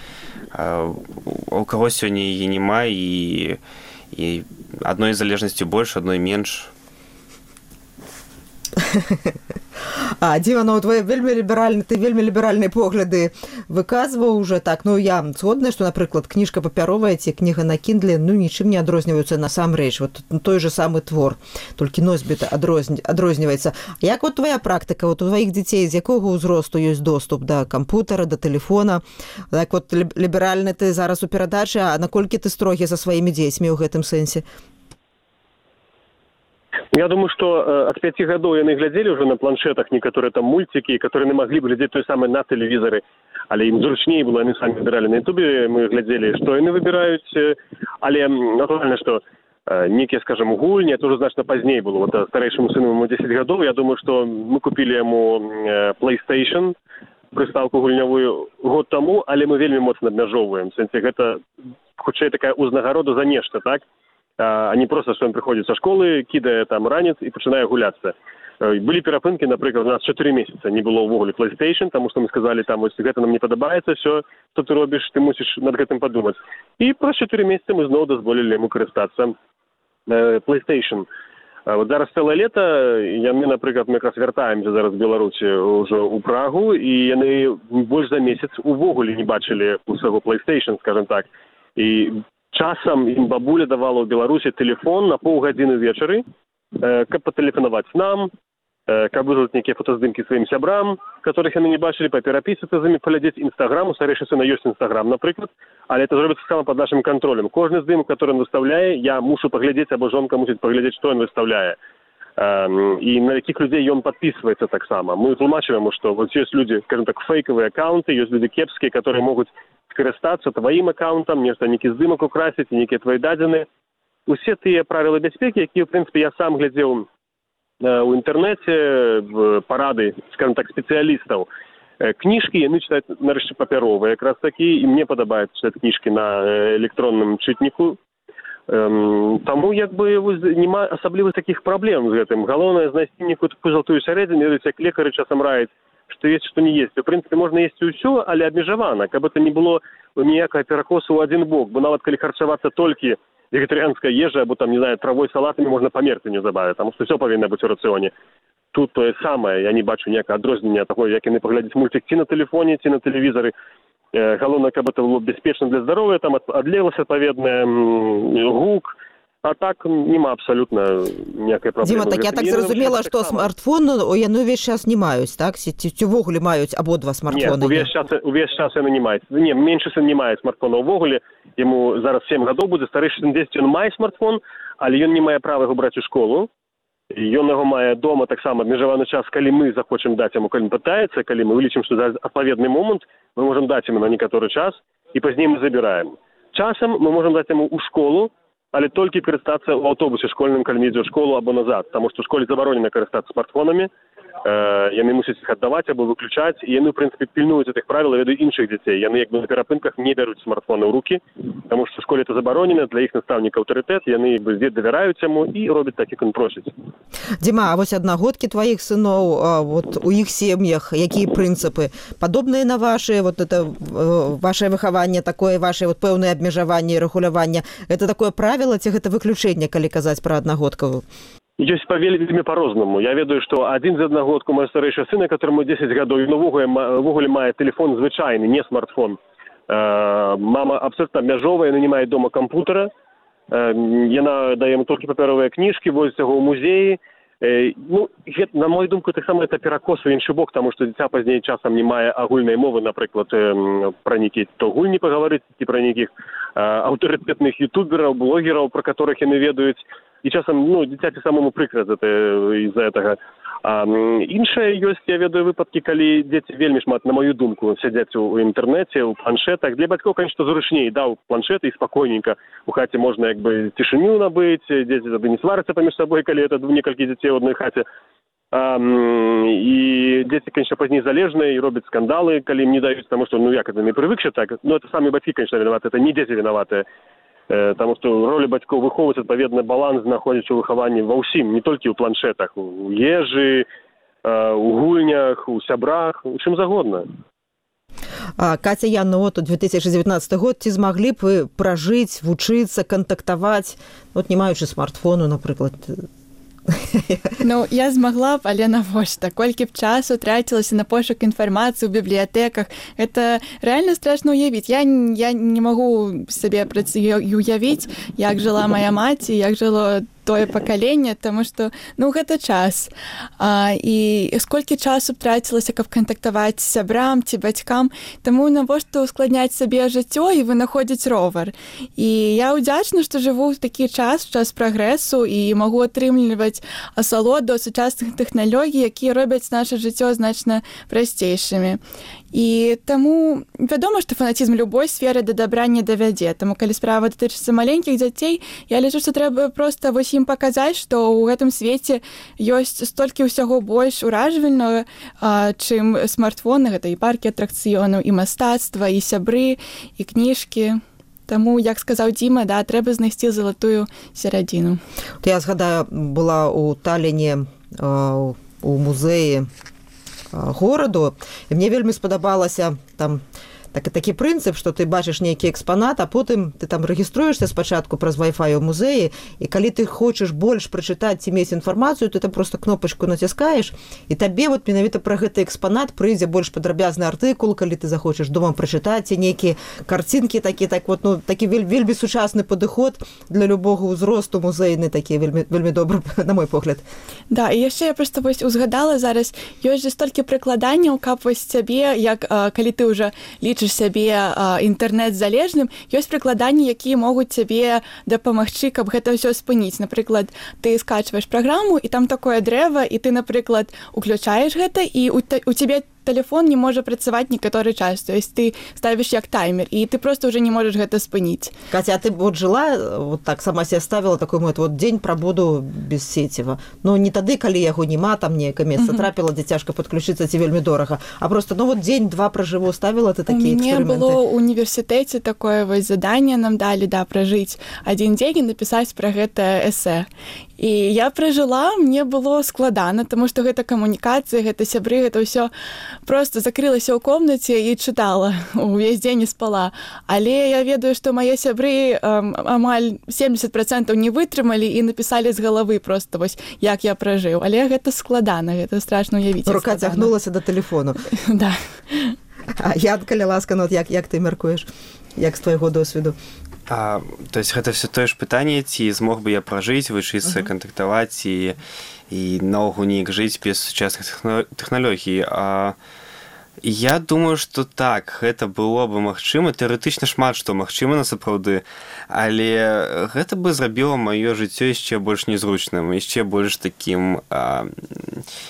у каго сёння яе няма, і адной залежнасці больш, адной менш. Дзіма, ты вельмі ліберальныя погляды выказваў уже так. Я згодная, што, напрыклад, кніжка папяровая ці кніга на Kindle нічым не адрозніваюцца насамрэч. Той же самы твор, толькі носьбіт адрозніваецца. Як твая практыка, у тваіх дзяцей з якога ўзросту ёсць доступ да кампутара, да тэлефона? Так ліберальны ты зараз у перадачы, а наколькі ты строгі за сваімі дзецьмі ў гэтым сэнсе? Я думаю, что от 5 гадоў яны глядзелі уже на планшетах некаторыя там мультики, которые не могли бы глядзець той самы на тэлевізары, але ім зручней было, яны самі выбіралі на ютубе, мы глядзелі, што яны выбіраюць, але натуральна, што некія, скажем, гульні, это уже значна пазней было. Старэйшаму сыну ему 10 гадоў, я думаю, што мы купілі яму PlayStation, прыстаўку гульнявую год таму, але мы вельмі моцна абмяжоўваем. В сэнсе, гэта хутчэй такая узнагарода за нешта, так? А не просто, что он приходит со школы, кидае там ранец и начинает гуляться. Были перапынки, например, у нас 4 месяца не было увогуле PlayStation, потому что мы сказали, там, если это нам не подобается, все, что ты робишь, ты мусишь над этим подумать. И про 4 месяца мы снова дозволили ему користаться PlayStation. Зараз цэлае лета, яны, напрыклад, мы якраз вяртаемся зараз з Беларусі ўжо ў Прагу, і яны больш за месяц увогуле не бачылі у свайго PlayStation, скажем так. І часам ім бабуля давала ў Беларусі тэлефон на паўгадзіны вечары, каб патэлефанаваць нам, каб вызваць нейкія фотаздымкі сваім сябрам, которых яны не бачылі, паперапісацца з імі, паглядзець Інстаграм. У старэйшай сына ёсць Інстаграм, напрыклад, але это зробіцца сама пад нашым кантролем. Кожны здымак, который ён выставляе, я мушу паглядзець, або жонка мусіць паглядзець, што ён выставляе. і на якіх людзей ён падпісваецца таксама. Мы тлумачым яму, што вот ёсць людзі, скажем так, фейкавыя аккаунты, ёсць людзі кепскія, которые могуць скарыстацца тваім аккаунтам, нешта нейкі здымак украсіць, нейкія твои дадзеныя. Усе тыя правілы бяспекі, якія, в прынцыпе, я сам глядзеў у інтэрнэце, парады, скажем так, спецыялістаў. Кніжкі яны чытаюць нарэшце папяровыя, якраз такі, і мне падабаецца чытаць кніжкі на электронным чытніку. Таму як бы няма асаблівых такіх праблем з гэтым. Галоўнае знайсці нейкую такую золотую сярэдзіну, як лекары часам раяць, што есть, што не есть. У прынцыпе, можна есці ўсё, але абмежавана, каб это не было ніякага перакосу ў адзін бок, бо нават калі харчавацца толькі вегетарыянская ежа, або там, не знаю, травой, салатамі можна памерці неўзабаве, таму што ўсё павінна быць у рацыёне. Тут тое самае, я не бачу ніякага адрознення такое, як яны паглядзець мультик ці на тэлефоне, ці на тэлевізары. Галоўнае, каб это было бяспечна для здароўя, там адлегласць адпаведная, гук, а так няма абсалютна ніякай праблемы. Дзіма, так я так зразумела, што смартфон яны ўвесь час не маюць, так? Ці ўвогуле маюць абодва смартфоны? Не, увесь час яны не маюць. Не, меншы сын не мае смартфона ўвогуле, яму зараз 7 гадоў будзе, старэйшы сын 10, ён мае смартфон, але ён не мае права яго браць у школу. Ён яго мае дома таксама абмежаваны час, калі мы захочам даць яму, калі пытаецца, калі мы вылічым, што за адпаведны момант мы можам даць яму на некаторы час, і пазней мы забіраем. Часам мы можам даць яму ў школу, але толькі карыстацца ў аўтобусе школьным, калі ідзе ў школу або назад, таму што ў школе забаронена карыстацца смартфонамі, яны мусяць іх аддаваць або выключаць, і яны, в прынцыпе, пільнуюць гэтых правіл, ведаюць іншых дзяцей. Яны як бы на перапынках не бяруць смартфоны ў рукі, таму што ў школе это забаронена, для іх настаўніка аўтарытэт, яны як бы давяраюць яму і робяць так, як ён просіць. Дзіма, а вось аднагодкі тваіх сыноў, вот у іх сем'ях, якія прынцыпы? Падобныя на вашы, вот это ваше выхаванне, такое ваше вот пэўнае абмежаванне і рэгуляванне, это такое правіла ці гэта выключэнне, калі казаць пра аднагодкавую? Ёсць вельмі па-рознаму. Я ведаю, што адзін з аднагодку мой старэйшы сына, которому 10 гадоў, ён увогуле мае тэлефон звычайны, не смартфон. Мама абсолютно абмяжовая, яна не мае дома кампутера. Яна дае яму толькі папяровыя кніжкі, возіць яго ў музеі. Ну, на мою думку, таксама это перакос у іншы бок, таму што дзіця пазней часам не мае агульнай мовы, напрыклад, пра нейкія то гульні пагаварыць, ці пра нейкіх аўтарытэтных ютубераў, блогераў, пра которых яны ведаюць. І часам, ну, дзіцяці самому прыкра з-за гэтага. Іншае ёсць, я ведаю выпадкі, калі дзеці вельмі шмат, на мою думку, сядзяць у інтэрнэце, у планшетах. Для бацькоў, конечно, зручней, даў планшет і спакойненька. У хаце можна, як бы, цішыню набыць, дзеці тады не сварыцца паміж сабой, калі это некалькі дзяцей у адной хаце. І дзеці, конечно, пазней залежныя і робяць скандалы, калі ім не даюць, таму што, ну, як это, не прывыкшы так. Ну, это самі бацькі, конечно, вінаваты, это не дзеці вінаватыя. Таму што роля бацькоў выхоўваць адпаведны баланс, знаходзіць у выхаванні ва ўсім, не толькі ў планшетах, у ежы, у гульнях, у сябрах, у чым загодна. Каця, Яна, вот 2019 год, ці змаглі б вы пражыць, вучыцца, кантактаваць, вот не маючы смартфону, напрыклад? Ну, я змагла б, але навошта? Колькі б часу трацілася на пошук інфармацыі ў бібліятэках. Это рэальна страшна ўявіць. Я не магу сабе уявіць, як жыла моя маці, як жыло тое пакаленне, таму што, ну, гэта час. І сколькі часу трацілася, каб кантактаваць з сябрам ці бацькам, таму навошта ускладняць сабе жыццё і вынаходзіць ровар. І я ўдзячна, што жыву ў такі час прагрэсу і магу атрымліваць асалоду сучасных тэхналогій, якія робяць наша жыццё значна прасцейшымі. І таму вядома, што фанатізм любой сферы да дабра не давядзе. Таму калі справа датычыцца маленькіх дзяцей, я лічу, што трэба проста вось ім паказаць, што ў гэтым свеце ёсць столькі ўсяго больш уражвальнага, чым смартфоны, гэта і паркі атракцыёнаў, і мастацтва, і сябры, і кніжкі. Таму, як сказаў Дзіма, да, трэба знайсці залатую сярэдзіну. Я згадаю, была ў Таліне у музеі гораду, і мне вельмі спадабалася там такі прынцып, што ты бачыш нейкі экспанат, а потым ты там рэгіструешся спачатку праз Wi-Fi у музеі, і калі ты хочаш больш прачытаць ці мець інфармацыю, ты там просто кнопачку націскаеш, і табе вот менавіта пра гэты экспанат прыйдзе больш падрабязны артыкул, калі ты захочаш дома прачытаць, ці нейкія карцінкі такі, так вот, ну, такі вельмі сучасны падыход для любога ўзросту музейны, такі вельмі добры, на мой погляд. Да, і яшчэ я проста вось узгадала зараз, ёсць жа столькі прыкладанняў, каб вось цябе, як калі ты ўжо лічыш лічыш сябе інтэрнэт-залежным, ёсць прыкладанні, якія могуць цябе дапамагчы, каб гэта ўсё спыніць. Напрыклад, ты скачваеш праграму, і там такое дрэва, і ты, напрыклад, уключаеш гэта, і у цябе телефон не може працаваць некаторы час. То есть ты ставіш як таймер, і ты просто уже не можаш гэта спыніць. Катя, а ты вот жила, вот так сама себе ставила такой вот день пробуду без сеціва. Ну, не тады, калі яго нема, там некае месца трапіла, дзе цяжка падключыцца, ці вельмі дорага, а просто, ну, вот дзень-два пражыву, ставила ты такія эксперыменты? У мяне было ў універсітэце такое вось заданне нам далі, да, пражыць адзін дзень і напісаць пра гэта эсэ. І я пражыла, мне было складана, таму што гэта камунікацыя, гэта сябры, гэта ўсё просто закрылася ў комнаце і чытала, увесь дзень не спала. Але я ведаю, што мае сябры амаль 70% не вытрымалі і напісалі з галавы просто вось, як я пражыў. Але гэта складана, гэта страшна ўявіць. Рука цягнулася да тэлефону. Да. А Янка, ласка, ну, як ты мяркуеш? Як з твайго досведу? То есть гэта все тое ж пытанне, ці змог бы я пражыць, вучыцца, кантактаваць і наогул неяк жыць без сучасных тэхналогій. Я думаю, што так, гэта было бы магчыма, тэарэтычна шмат што магчыма насапраўды, але гэта бы зрабіла маё жыццё яшчэ больш незручным, яшчэ больш такім,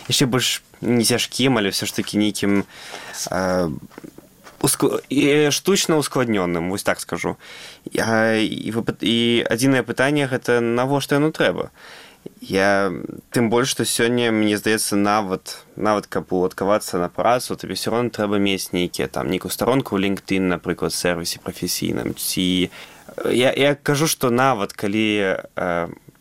яшчэ больш не цяжкім, але ўсё ж такі нейкім штучна ускладнёным, вось так скажу. І адзінае пытанне гэта навошта яно трэба. Тым больш, што сёння, мне здаецца, нават каб уладкавацца на працу, табе ўсё роўна трэба мець нейкую старонку ў LinkedIn, напрыклад, сервісе прафесійным. Я кажу, што нават калі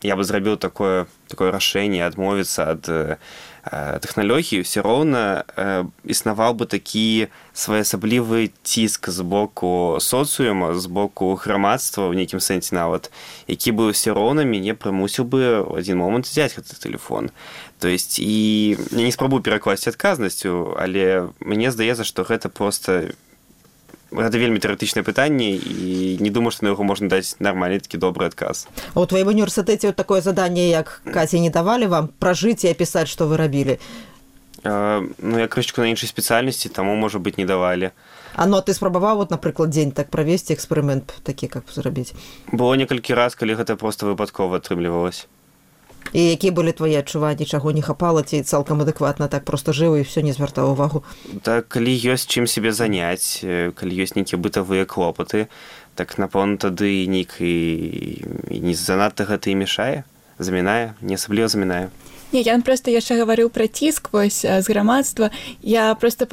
я бы зрабіў такое рашэнне адмовіцца ад тэхналогій, ўсё роўна існаваў бы такі своеасаблівы ціск з боку соцыума, з боку грамадства, ў нейкім сэнсе нават, які бы ўсё роўна мяне прымусіў бы ў адзін момант взяць гэты тэлефон. То есть, і я не спрабую перакласці адказнасцю, але мне здаецца, што гэта проста гэта вельмі тэарэтычнае пытанне, і не думаю, што на яго можна даць нармальны такі добры адказ. А ў тваім універсітэце такое заданне, як Каці, не давалі вам пражыць і апісаць, што вы рабілі? Ну, я крышечку на іншай спецыяльнасці, таму, можа быць, не давалі. Ну, а ты спрабаваў, вот, напрыклад, дзень так правесці, эксперымент такі, каб зрабіць? Было некалькі раз, калі гэта проста выпадкова атрымлівалася. І якія былі твае адчуванні, чаго не хапала, ці цалкам адэкватна так проста жыў і ўсё не звяртаў увагу? Так, калі ёсць чым сябе заняць, калі ёсць нейкія бытавыя клопаты, так, напэўна, тады не занадта гэта і мешае, замінае, не асабліва замінае. Не, я просто яшчэ гаварыў пра ціск вось з грамадства. Я просто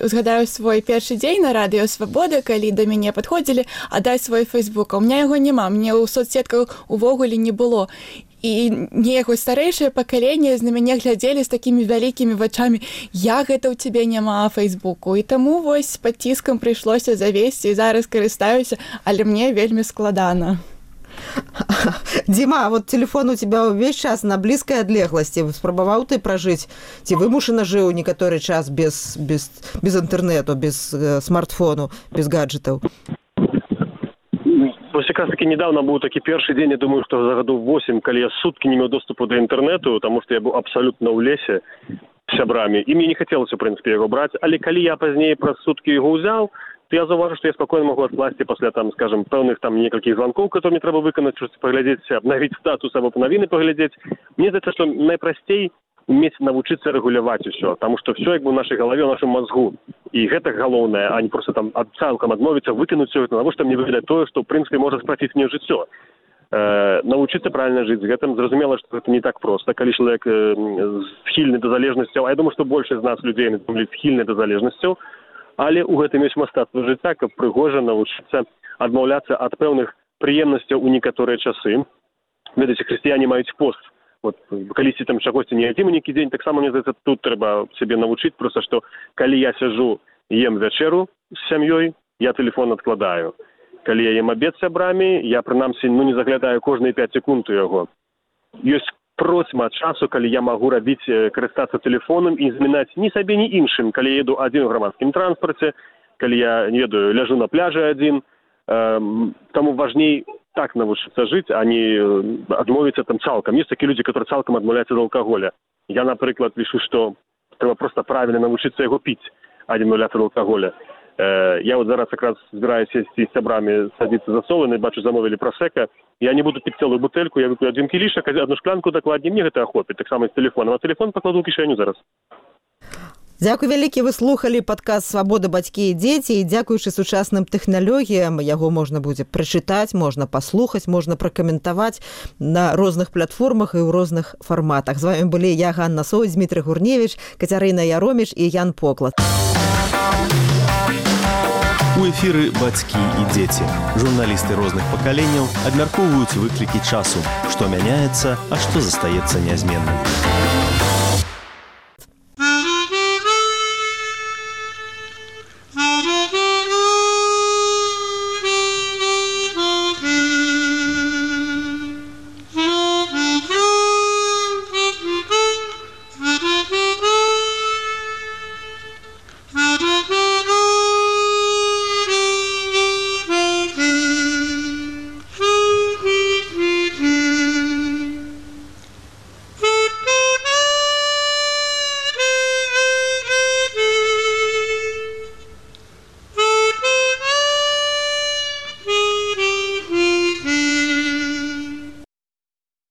згадаю свой першы дзень на радыё Свабода, калі да мяне падходзілі, дай свой фейсбук. У меня яго няма, мне ў соцсетках увогуле не было. І неяк старэйшае пакаленне на мяне глядзелі з такімі вялікімі вачамі, як гэта ў цябе няма фейсбуку. І таму вось пад ціскам прыйшлося завесці, і зараз карыстаюся, але мне вельмі складана. Дима, а вот телефон у тебя увесь час на блізкай адлегласці. Спрабаваў ты пражыць? Ці вымушана жыў некаторы час без інтэрнэту, без смартфону, без гаджетаў? Вось якраз таки недавно быў такі першы дзень, я думаю, што за гадоў 8, калі я суткі не меў доступу да інтэрнэту, таму што я быў абсалютна ў лесе з сябрамі, і мне не хацелася, у прынцыпе, яго браць, але калі я пазней праз суткі яго ўзяў, то я заўважу, што я спакойна магу адкласці пасля, там, скажем, пэўных там некалькіх званкоў, которые мне трэба выканаць, штось паглядзець, абнавіць статус або навіны паглядзець. Мне здаецца, што найпрасцей уметь навучыцца рэгуляваць усё, таму што ўсё як бы ў нашай галаве, ў нашым мазгу. І гэта галоўнае, а не проста там цалкам адмовіцца, выкінуць усё гэта, навошта мне выглядаць тое, што ў прынцыпе можа спраціць мне жыццё. Навучыцца правільна жыць з гэтым. Зразумела, што гэта не так проста, калі чалавек схільны да залежнасцяў, а я думаю, што большасць з нас людзей схільны да залежнасцяў, але ў гэтым ёсць мастацтва жыцця, каб прыгожа навучыцца адмаўляцца ад пэўных прыемнасцяў у некаторыя часы. Ведаеце, хрысціяне маюць пост. Вот, калісьці там чагосьці не ядзім нейкі дзень, таксама, мне здаецца, тут трэба сябе навучыць, проста што калі я сяджу, ем вячэру з сям'ёй, я тэлефон адкладаю. Калі я ем абед з сябрамі, я прынамсі не заглядаю кожныя 5 секунд у яго. Ёсць процьма часу, калі я магу карыстацца тэлефонам і замінаць ні сабе, ні іншым, калі я еду адзін у грамадскім транспарце, калі я, не ведаю, ляжу на пляжы адзін. Таму важней так навучыцца жыць, а не адмовіцца там цалкам. Ёсць такія людзі, которые цалкам адмаўляюцца ад алкаголя. Я, напрыклад, лічу, што трэба проста правільна навучыцца яго піць, а не адмаўляцца ад алкаголя. Я вот зараз якраз збираюся сесці з сябрамі садіцца за соланы, бачу, замовілі просека. Я не буду піць цэлую бутэльку, я вып'ю адзін кілішак, одну шклянку дакладней, мне гэта ахопіць, таксама з тэлефонам. А тэлефон пакладу ў кішэню зараз. Дзякуй вялікі, вы слухалі падкаст «Свабода, бацькі і дзеці», і дзякуючы сучасным тэхналогіям яго можна будзе прачытаць, можна паслухаць, можна пракаментаваць на розных платформах і ў розных фарматах. З вамі былі я, Ганна Соўць, Дмітрый Гурневіч, Кацярына Яроміш і Ян Поклад. У эфіры «Бацькі і дзеці». Журналісты розных пакаленняў абмяркоўваюць выклікі часу, што мяняецца, а што застаецца нязменным.